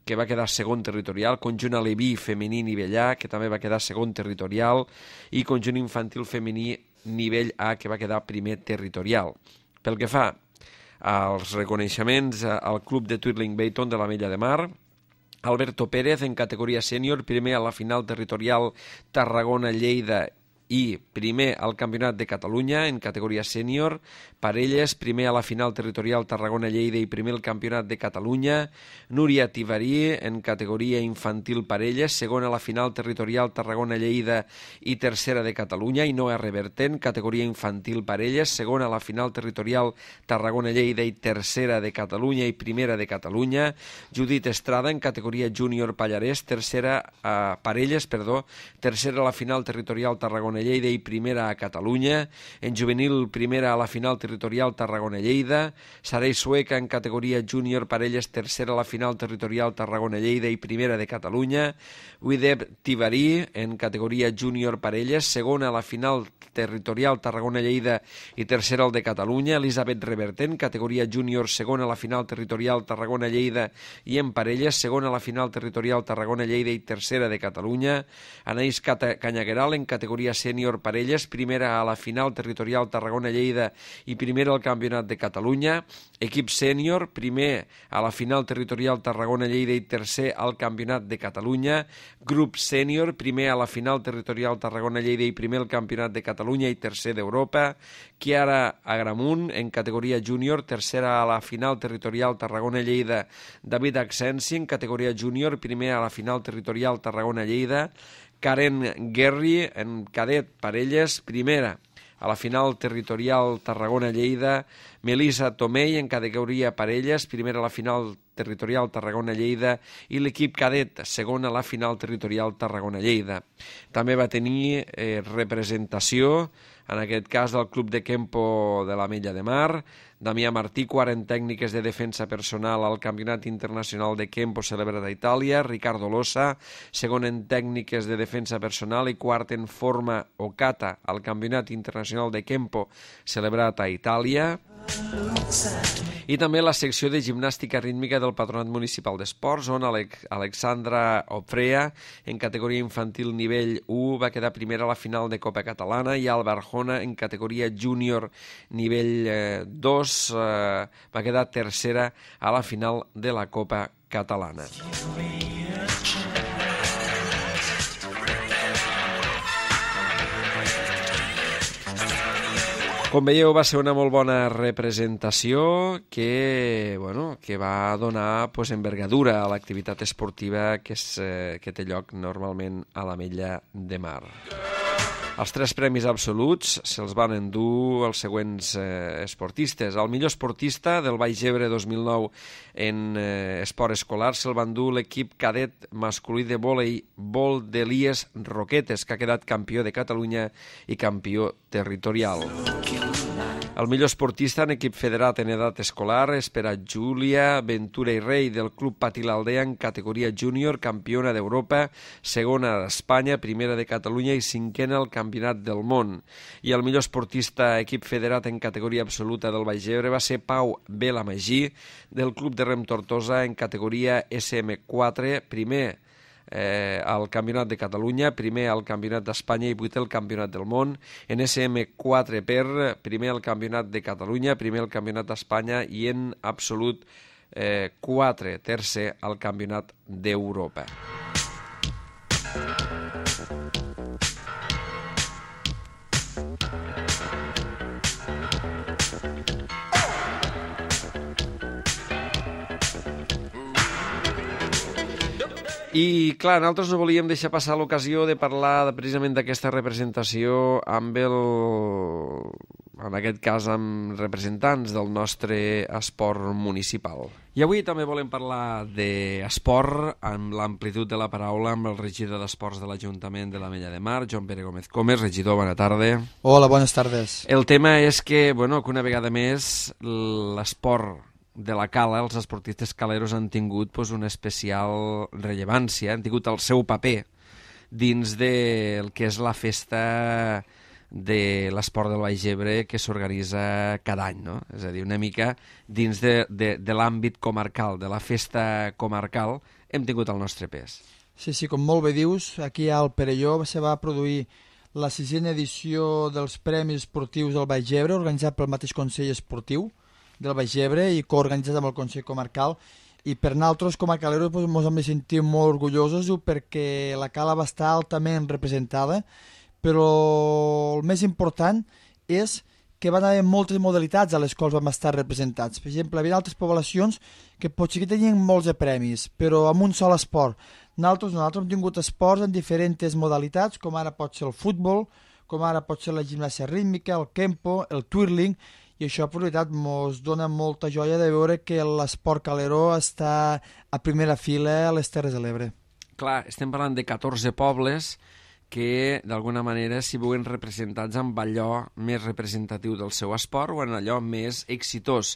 que va quedar segon territorial, conjunt Aleví femení nivell A, que també va quedar segon territorial, i conjunt infantil femení nivell A, que va quedar primer territorial. Pel que fa als reconeixements al club de Twirling Bayton de l'Ametlla de Mar, Alberto Pérez en categoria sènior, primer a la final territorial Tarragona-Lleida i primer al Campionat de Catalunya en categoria sènior, Parelles, primer a la final territorial Tarragona-Lleida i primer al Campionat de Catalunya, Núria Tibarí en categoria infantil Parelles, segona a la final territorial Tarragona-Lleida i tercera de Catalunya, i Noa Revertent, categoria infantil Parelles, segona a la final territorial Tarragona-Lleida i tercera de Catalunya i primera de Catalunya, Judit Estrada en categoria júnior Pallarès, tercera a Parelles, perdó, tercera a la final territorial Tarragona Lleida i primera a Catalunya, en juvenil primera a la final territorial Tarragona-Lleida, Sarei Sueca en categoria júnior Parelles, tercera a la final territorial Tarragona-Lleida i primera de Catalunya, Wideb Tibarí en categoria júnior Parelles, segona a la final territorial Tarragona-Lleida i tercera al de Catalunya, Elisabet Revertent, categoria júnior, segona a la final territorial Tarragona-Lleida i en Parelles, segona a la final territorial Tarragona-Lleida i tercera de Catalunya, Anaïs Canyagueral en categoria sènior Parelles, primera a la final territorial Tarragona-Lleida i primera al Campionat de Catalunya, equip sènior, primer a la final territorial Tarragona-Lleida i tercer al Campionat de Catalunya, grup sènior, primer a la final territorial Tarragona-Lleida i primer al Campionat de Catalunya i tercer d'Europa, Chiara Agramunt en categoria júnior, tercera a la final territorial Tarragona-Lleida, David Accensi en categoria júnior, primer a la final territorial Tarragona-Lleida, Karen Guerri en cadet Parelles, primera a la final territorial Tarragona-Lleida, Melissa Tomei en categoria Parelles, primera a la final territorial Tarragona-Lleida i l'equip cadet, segon a la final territorial Tarragona-Lleida. També va tenir eh, representació, en aquest cas del Club de Kempo de l'Ametlla de Mar, Damià Martí, quart en tècniques de defensa personal al Campionat Internacional de Kempo celebrat a Itàlia, Ricardo Losa, segon en tècniques de defensa personal i quart en forma o kata al Campionat Internacional de Kempo celebrat a Itàlia. I també la secció de gimnàstica rítmica del Patronat Municipal d'Esports, on Alexandra Ofrea, en categoria infantil nivell u, va quedar primera a la final de Copa Catalana, i Alba Arjona, en categoria júnior nivell dos, eh, va quedar tercera a la final de la Copa Catalana. Com veieu, va ser una molt bona representació que, bueno, que va donar pues, envergadura a l'activitat esportiva que, és, eh, que té lloc normalment a l'Ametlla de Mar. Els tres premis absoluts se'ls van endur els següents eh, esportistes. El millor esportista del Baix Ebre dos mil nou en eh, esport escolar se'l va endur l'equip cadet masculí de voleibol d'Elies Roquetes, que ha quedat campió de Catalunya i campió territorial. El millor esportista en equip federat en edat escolar és per a Júlia Ventura i Rei del Club Patí l'Aldea en categoria júnior, campiona d'Europa, segona d'Espanya, primera de Catalunya i cinquena al Campionat del Món. I el millor esportista equip federat en categoria absoluta del Baix Ebre va ser Pau Belamagí del Club de Rem Tortosa en categoria esse eme quatre, primer Eh, al Campionat de Catalunya, primer al Campionat d'Espanya i vuitè al Campionat del Món. En esse eme quatre per primer al Campionat de Catalunya, primer al Campionat d'Espanya i en absolut eh, quatre, tercer al Campionat d'Europa. I, clar, nosaltres no volíem deixar passar l'ocasió de parlar precisament d'aquesta representació amb el... en aquest cas amb representants del nostre esport municipal. I avui també volem parlar d'esport amb l'amplitud de la paraula amb el regidor d'Esports de l'Ajuntament de l'Ametlla de Mar, Joan Pere Gómez Comes. Regidor, bona tarda.
Hola, bones tardes.
El tema és que, bueno, que una vegada més l'esport de la cala, els esportistes caleros han tingut pues, una especial rellevància, han tingut el seu paper dins del que és la festa de l'esport del Baix Ebre que s'organitza cada any, no? És a dir, una mica dins de, de, de l'àmbit comarcal, de la festa comarcal, hem tingut el nostre pes.
Sí, sí, com molt bé dius, aquí al Perelló se va produir la sisena edició dels Premis Esportius del Baix Ebre, organitzat pel mateix Consell Esportiu del Baix Ebre i coorganitzat amb el Consell Comarcal. I per nosaltres, com a caleros, ens doncs, hem de sentir molt orgullosos perquè la cala va estar altament representada, però el més important és que van haver moltes modalitats a les quals vam estar representats. Per exemple, hi havia altres poblacions que potser que tenien molts de premis, però amb un sol esport. Nosaltres, nosaltres hem tingut esports en diferents modalitats, com ara pot ser el futbol, com ara pot ser la gimnàsia rítmica, el kempo, el twirling, i això, per veritat, ens dona molta joia de veure que l'esport calero està a primera fila a les Terres de l'Ebre.
Clar, estem parlant de catorze pobles que d'alguna manera s'hi veuen representats amb allò més representatiu del seu esport o en allò més exitós.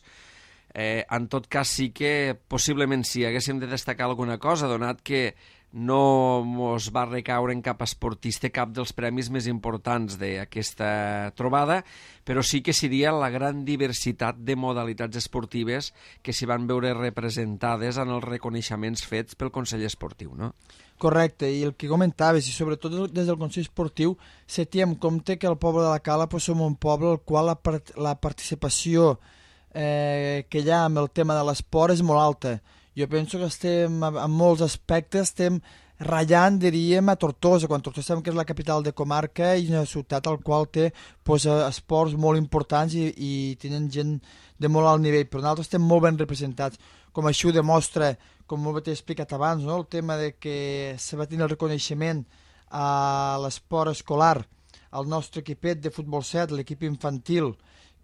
Eh, en tot cas, sí que possiblement si haguéssim de destacar alguna cosa, donat que no mos va recaure en cap esportista cap dels premis més importants d'aquesta trobada, però sí que seria la gran diversitat de modalitats esportives que s'hi van veure representades en els reconeixements fets pel Consell Esportiu, no?
Correcte, i el que comentaves, i sobretot des del Consell Esportiu, se té en compte que el poble de la Cala pues, som un poble al qual la, part la participació eh, que hi ha amb el tema de l'esport és molt alta. Jo penso que estem, en molts aspectes, estem ratllant, diríem, a Tortosa, quan Tortosa sabem que és la capital de comarca i una ciutat al qual té pues, esports molt importants i, i tenen gent de molt alt nivell, però nosaltres estem molt ben representats. Com així ho demostra, com molt bé t'he explicat abans, no? El tema de que se va tenir el reconeixement a l'esport escolar, al nostre equipet de futbol set, l'equip infantil,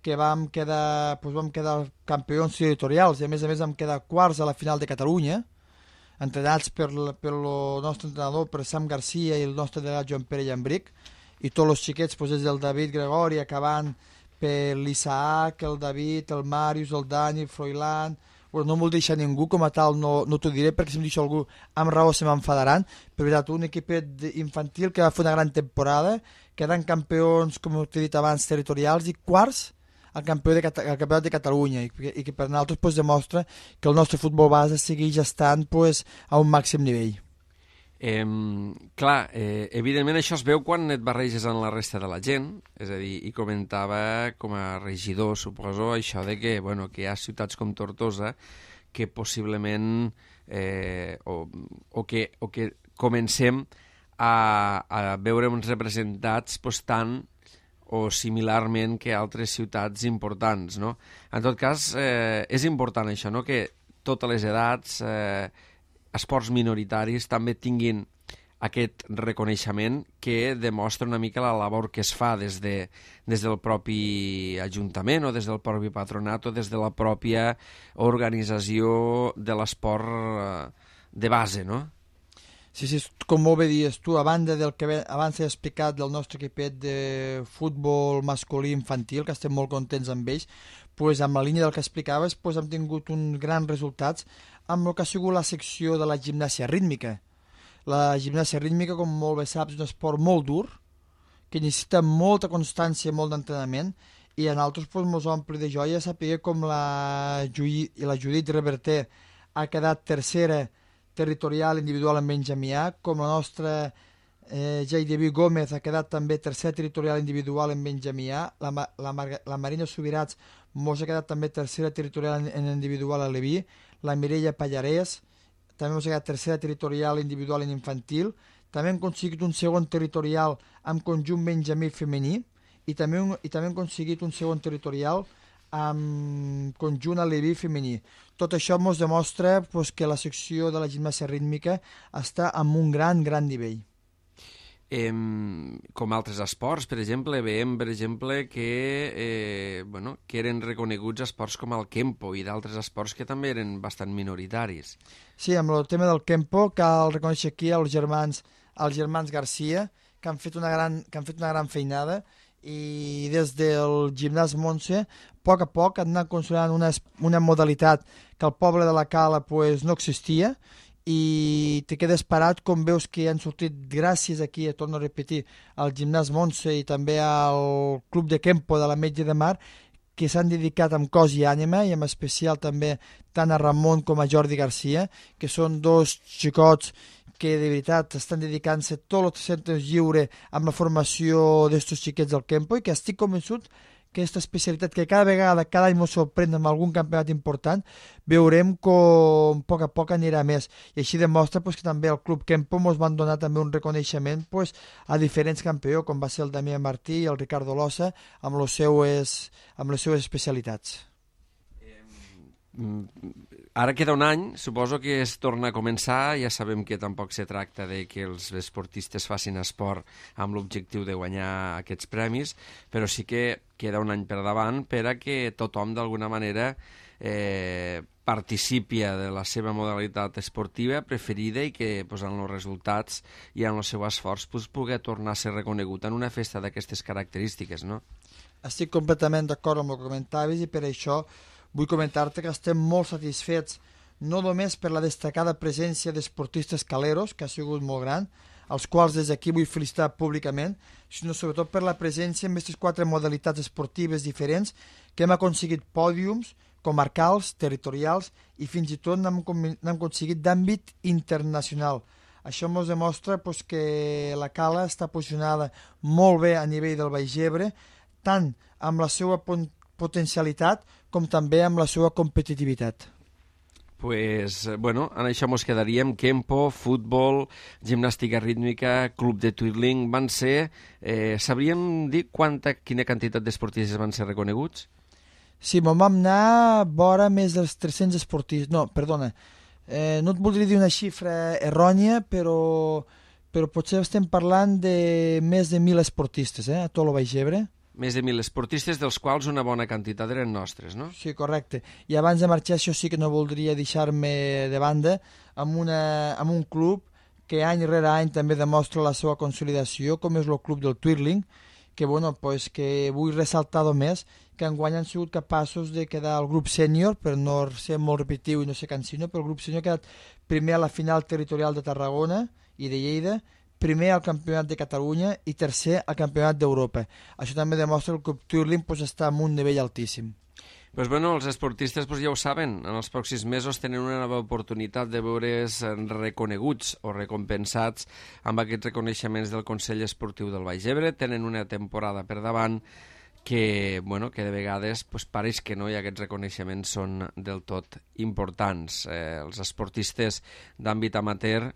que vam quedar, doncs vam quedar campions territorials i a més a més vam quedar quarts a la final de Catalunya, entrenats per, pel nostre entrenador, per Sam Garcia i el nostre delegat Joan Pere Llambric, i tots els xiquets, doncs, des del David Gregori, acabant per l'Isaac, el David, el Màrius, el Dani, el Froilán. Bueno, no m'ho deixa ningú, com a tal no, no t'ho diré, perquè si em deixa algú amb raó se m'enfadaran, però veritat, un equipet infantil que va fer una gran temporada, quedant campions, com t'he dit abans, territorials i quarts al campió de, al campionat de Catalunya i, i que per nosaltres pues, demostra que el nostre futbol base segueix estant pues, a un màxim nivell.
Eh, clar, eh, evidentment això es veu quan et barreges en la resta de la gent, és a dir, i comentava com a regidor, suposo, això de que, bueno, que hi ha ciutats com Tortosa que possiblement eh, o, o, que, o que comencem a, a veure uns representats pues, tant o similarment que altres ciutats importants, no? En tot cas, eh, és important això, no?, que totes les edats, eh, esports minoritaris, també tinguin aquest reconeixement que demostra una mica la labor que es fa des, de, des del propi Ajuntament o des del propi Patronat o des de la pròpia organització de l'esport eh, de base, no?
Sí, sí, com molt bé dius tu, a banda del que abans he explicat del nostre equipet de futbol masculí infantil, que estem molt contents amb ells, pues, amb la línia del que explicaves pues, hem tingut uns grans resultats amb el que ha sigut la secció de la gimnàsia rítmica. La gimnàsia rítmica, com molt bé saps, és un esport molt dur, que necessita molta constància i molt d'entrenament, i a nosaltres pues, ens ompli de joia saber com la, Jui, la Judit Reverter ha quedat tercera territorial individual en benjamià, com la nostra eh, J D B Gómez ha quedat també tercer territorial individual en benjamià, la, la, la Marina Subirats mos ha quedat també tercera territorial en, en individual a Leví, la Mireia Pallarès també mos ha quedat tercera territorial individual en infantil, també hem aconseguit un segon territorial amb conjunt benjamí femení i també, un, i també hem aconseguit un segon territorial amb conjunt a Leví femení. Tot això ens demostra pues, que la secció de la gimnàsia rítmica està amb un gran, gran nivell.
Eh, com altres esports, per exemple, veiem, per exemple, que, eh, bueno, que eren reconeguts esports com el kempo i d'altres esports que també eren bastant minoritaris.
Sí, amb el tema del kempo cal reconèixer aquí els germans, els germans Garcia, que han fet una gran, que han fet una gran feinada i des del gimnàs Montse, a poc a poc han anat consolidant una, una modalitat que al poble de la Cala pues, no existia, i te quedes parat com veus que han sortit gràcies aquí, torno a repetir, al gimnàs Montse i també al club de Kempo de la Metge de Mar, que s'han dedicat amb cos i ànima, i en especial també tant a Ramon com a Jordi Garcia, que són dos xicots que de veritat estan dedicant-se tot el centre lliure amb la formació d'estos xiquets del Kempo, i que estic convençut que aquesta especialitat que cada vegada, cada any ens sorprèn amb algun campionat important, veurem com a poc a poc anirà més. I així demostra pues, que també el Club Kempo ens van donar també un reconeixement pues, a diferents campions, com va ser el Damià Martí i el Ricardo Losa, amb les seues, amb les seues especialitats.
Ara queda un any, suposo que es torna a començar, ja sabem que tampoc se tracta de que els esportistes facin esport amb l'objectiu de guanyar aquests premis, però sí que queda un any per davant per a que tothom d'alguna manera eh, participi de la seva modalitat esportiva preferida i que pues, en els resultats i en el seu esforç pues, pugui tornar a ser reconegut en una festa d'aquestes característiques, no?
Estic completament d'acord amb el que comentaves i per això vull comentar-te que estem molt satisfets no només per la destacada presència d'esportistes caleros, que ha sigut molt gran, els quals des d'aquí vull felicitar públicament, sinó sobretot per la presència en aquestes quatre modalitats esportives diferents que hem aconseguit pòdiums comarcals, territorials i fins i tot n'hem aconseguit d'àmbit internacional. Això ens demostra pues, que la Cala està posicionada molt bé a nivell del Baix Ebre, tant amb la seva potencialitat com també amb la seva competitivitat.
Pues, bueno, en això mos quedaríem. Kempo, futbol, gimnàstica rítmica, club de twirling, van ser... Eh, sabríem dir quanta, quina quantitat d'esportistes van ser reconeguts?
Sí, me'n vam anar vora més dels tres-cents esportistes. No, perdona, eh, no et voldria dir una xifra errònia, però, però potser estem parlant de més de mil esportistes, eh, a tot el Baix Ebre.
Més de mil esportistes, dels quals una bona quantitat eren nostres, no?
Sí, correcte. I abans de marxar, això sí que no voldria deixar-me de banda amb, una, amb un club que any rere any també demostra la seva consolidació, com és el club del twirling, que, bueno, pues, que vull ressaltar més, que enguany han sigut capaços de quedar al grup sènior, per no ser molt repetitiu i no ser cansino, però el grup sènior ha quedat primer a la final territorial de Tarragona i de Lleida, primer al Campionat de Catalunya i tercer al Campionat d'Europa. Això també demostra que el club twirling pues, està en un nivell altíssim.
Pues bueno, els esportistes pues, ja ho saben, en els pròxims mesos tenen una nova oportunitat de veure's reconeguts o recompensats amb aquests reconeixements del Consell Esportiu del Baix Ebre. Tenen una temporada per davant que, bueno, que de vegades pues, pareix que no, i aquests reconeixements són del tot importants. Eh, els esportistes d'àmbit amateur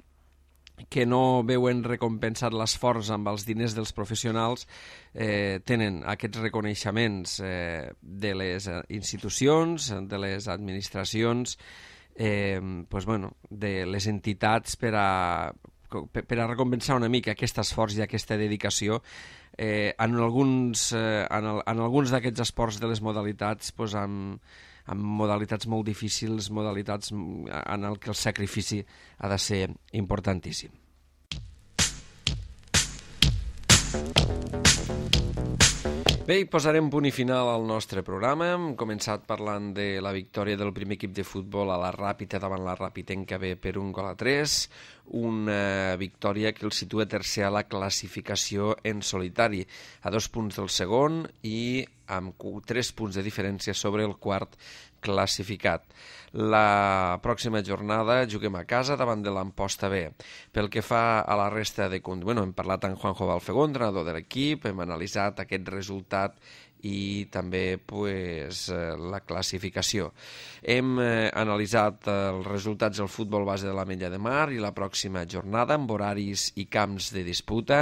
que no veuen recompensat l'esforç amb els diners dels professionals eh, tenen aquests reconeixements eh, de les institucions, de les administracions, eh, pues, bueno, de les entitats per a, per a recompensar una mica aquest esforç i aquesta dedicació. Eh, en alguns, eh, en, el, en alguns d'aquests esports de les modalitats pues, amb amb modalitats molt difícils, modalitats en el que el sacrifici ha de ser importantíssim. Bé, posarem punt i final al nostre programa. Hem començat parlant de la victòria del primer equip de futbol a la Ràpita davant la Ràpitenca B per un gol a tres, una victòria que el situa tercer a la classificació en solitari, a dos punts del segon i amb tres punts de diferència sobre el quart classificat. La pròxima jornada juguem a casa davant de l'Amposta B. Pel que fa a la resta de... Bueno, hem parlat amb Juanjo Balfegó, entrenador de l'equip, hem analitzat aquest resultat i també pues, la classificació. Hem eh, analitzat els resultats del futbol base de l'Ametlla de Mar i la pròxima jornada amb horaris i camps de disputa.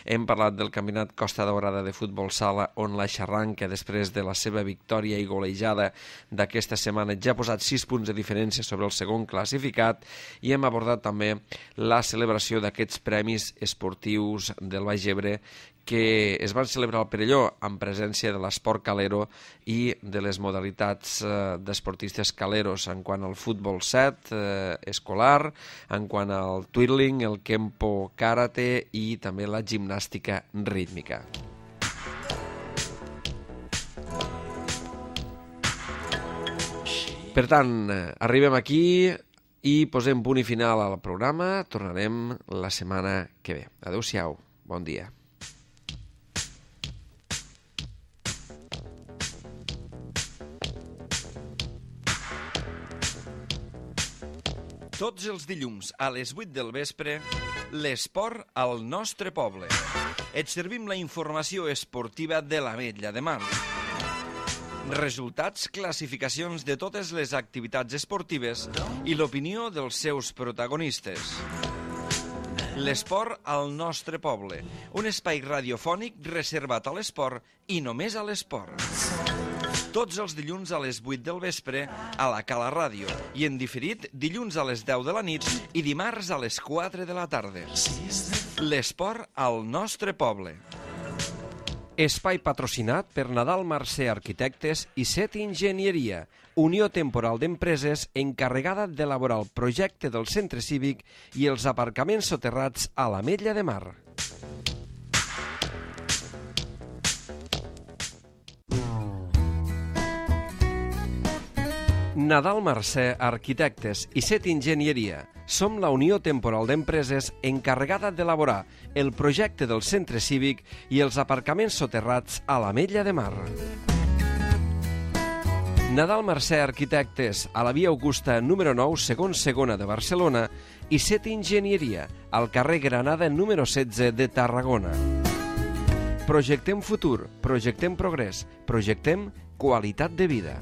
Hem parlat del campionat Costa Daurada de futbol sala, on la Xarranca, després de la seva victòria i golejada d'aquesta setmana, ja ha posat sis punts de diferència sobre el segon classificat, i hem abordat també la celebració d'aquests premis esportius del Baix Ebre que es van celebrar al Perelló en presència de l'esport calero i de les modalitats eh, d'esportistes caleros en quant al futbol set eh, escolar, en quant al twirling, el kempo karate i també la gimnàstica rítmica. Per tant, arribem aquí i posem punt i final al programa. Tornarem la setmana que ve. Adéu-siau. Bon dia.
Tots els dilluns a les vuit del vespre, l'esport al nostre poble. Et servim la informació esportiva de l'Ametlla de Mar. Resultats, classificacions de totes les activitats esportives i l'opinió dels seus protagonistes. L'esport al nostre poble, un espai radiofònic reservat a l'esport i només a l'esport. Tots els dilluns a les vuit del vespre a la Cala Ràdio i en diferit dilluns a les deu de la nit i dimarts a les quatre de la tarda. L'esport al nostre poble.
Espai patrocinat per Nadal Mercè Arquitectes i Set Enginyeria, unió temporal d'empreses encarregada d'elaborar el projecte del centre cívic i els aparcaments soterrats a l'Ametlla de Mar. Nadal Mercè Arquitectes i Set Enginyeria. Som la unió temporal d'empreses encarregada d'elaborar el projecte del centre cívic i els aparcaments soterrats a l'Ametlla de Mar. Nadal Mercè Arquitectes, a la via Augusta número nou, segon segona de Barcelona, i Set Enginyeria, al carrer Granada número setze de Tarragona. Projectem futur, projectem progrés, projectem qualitat de vida.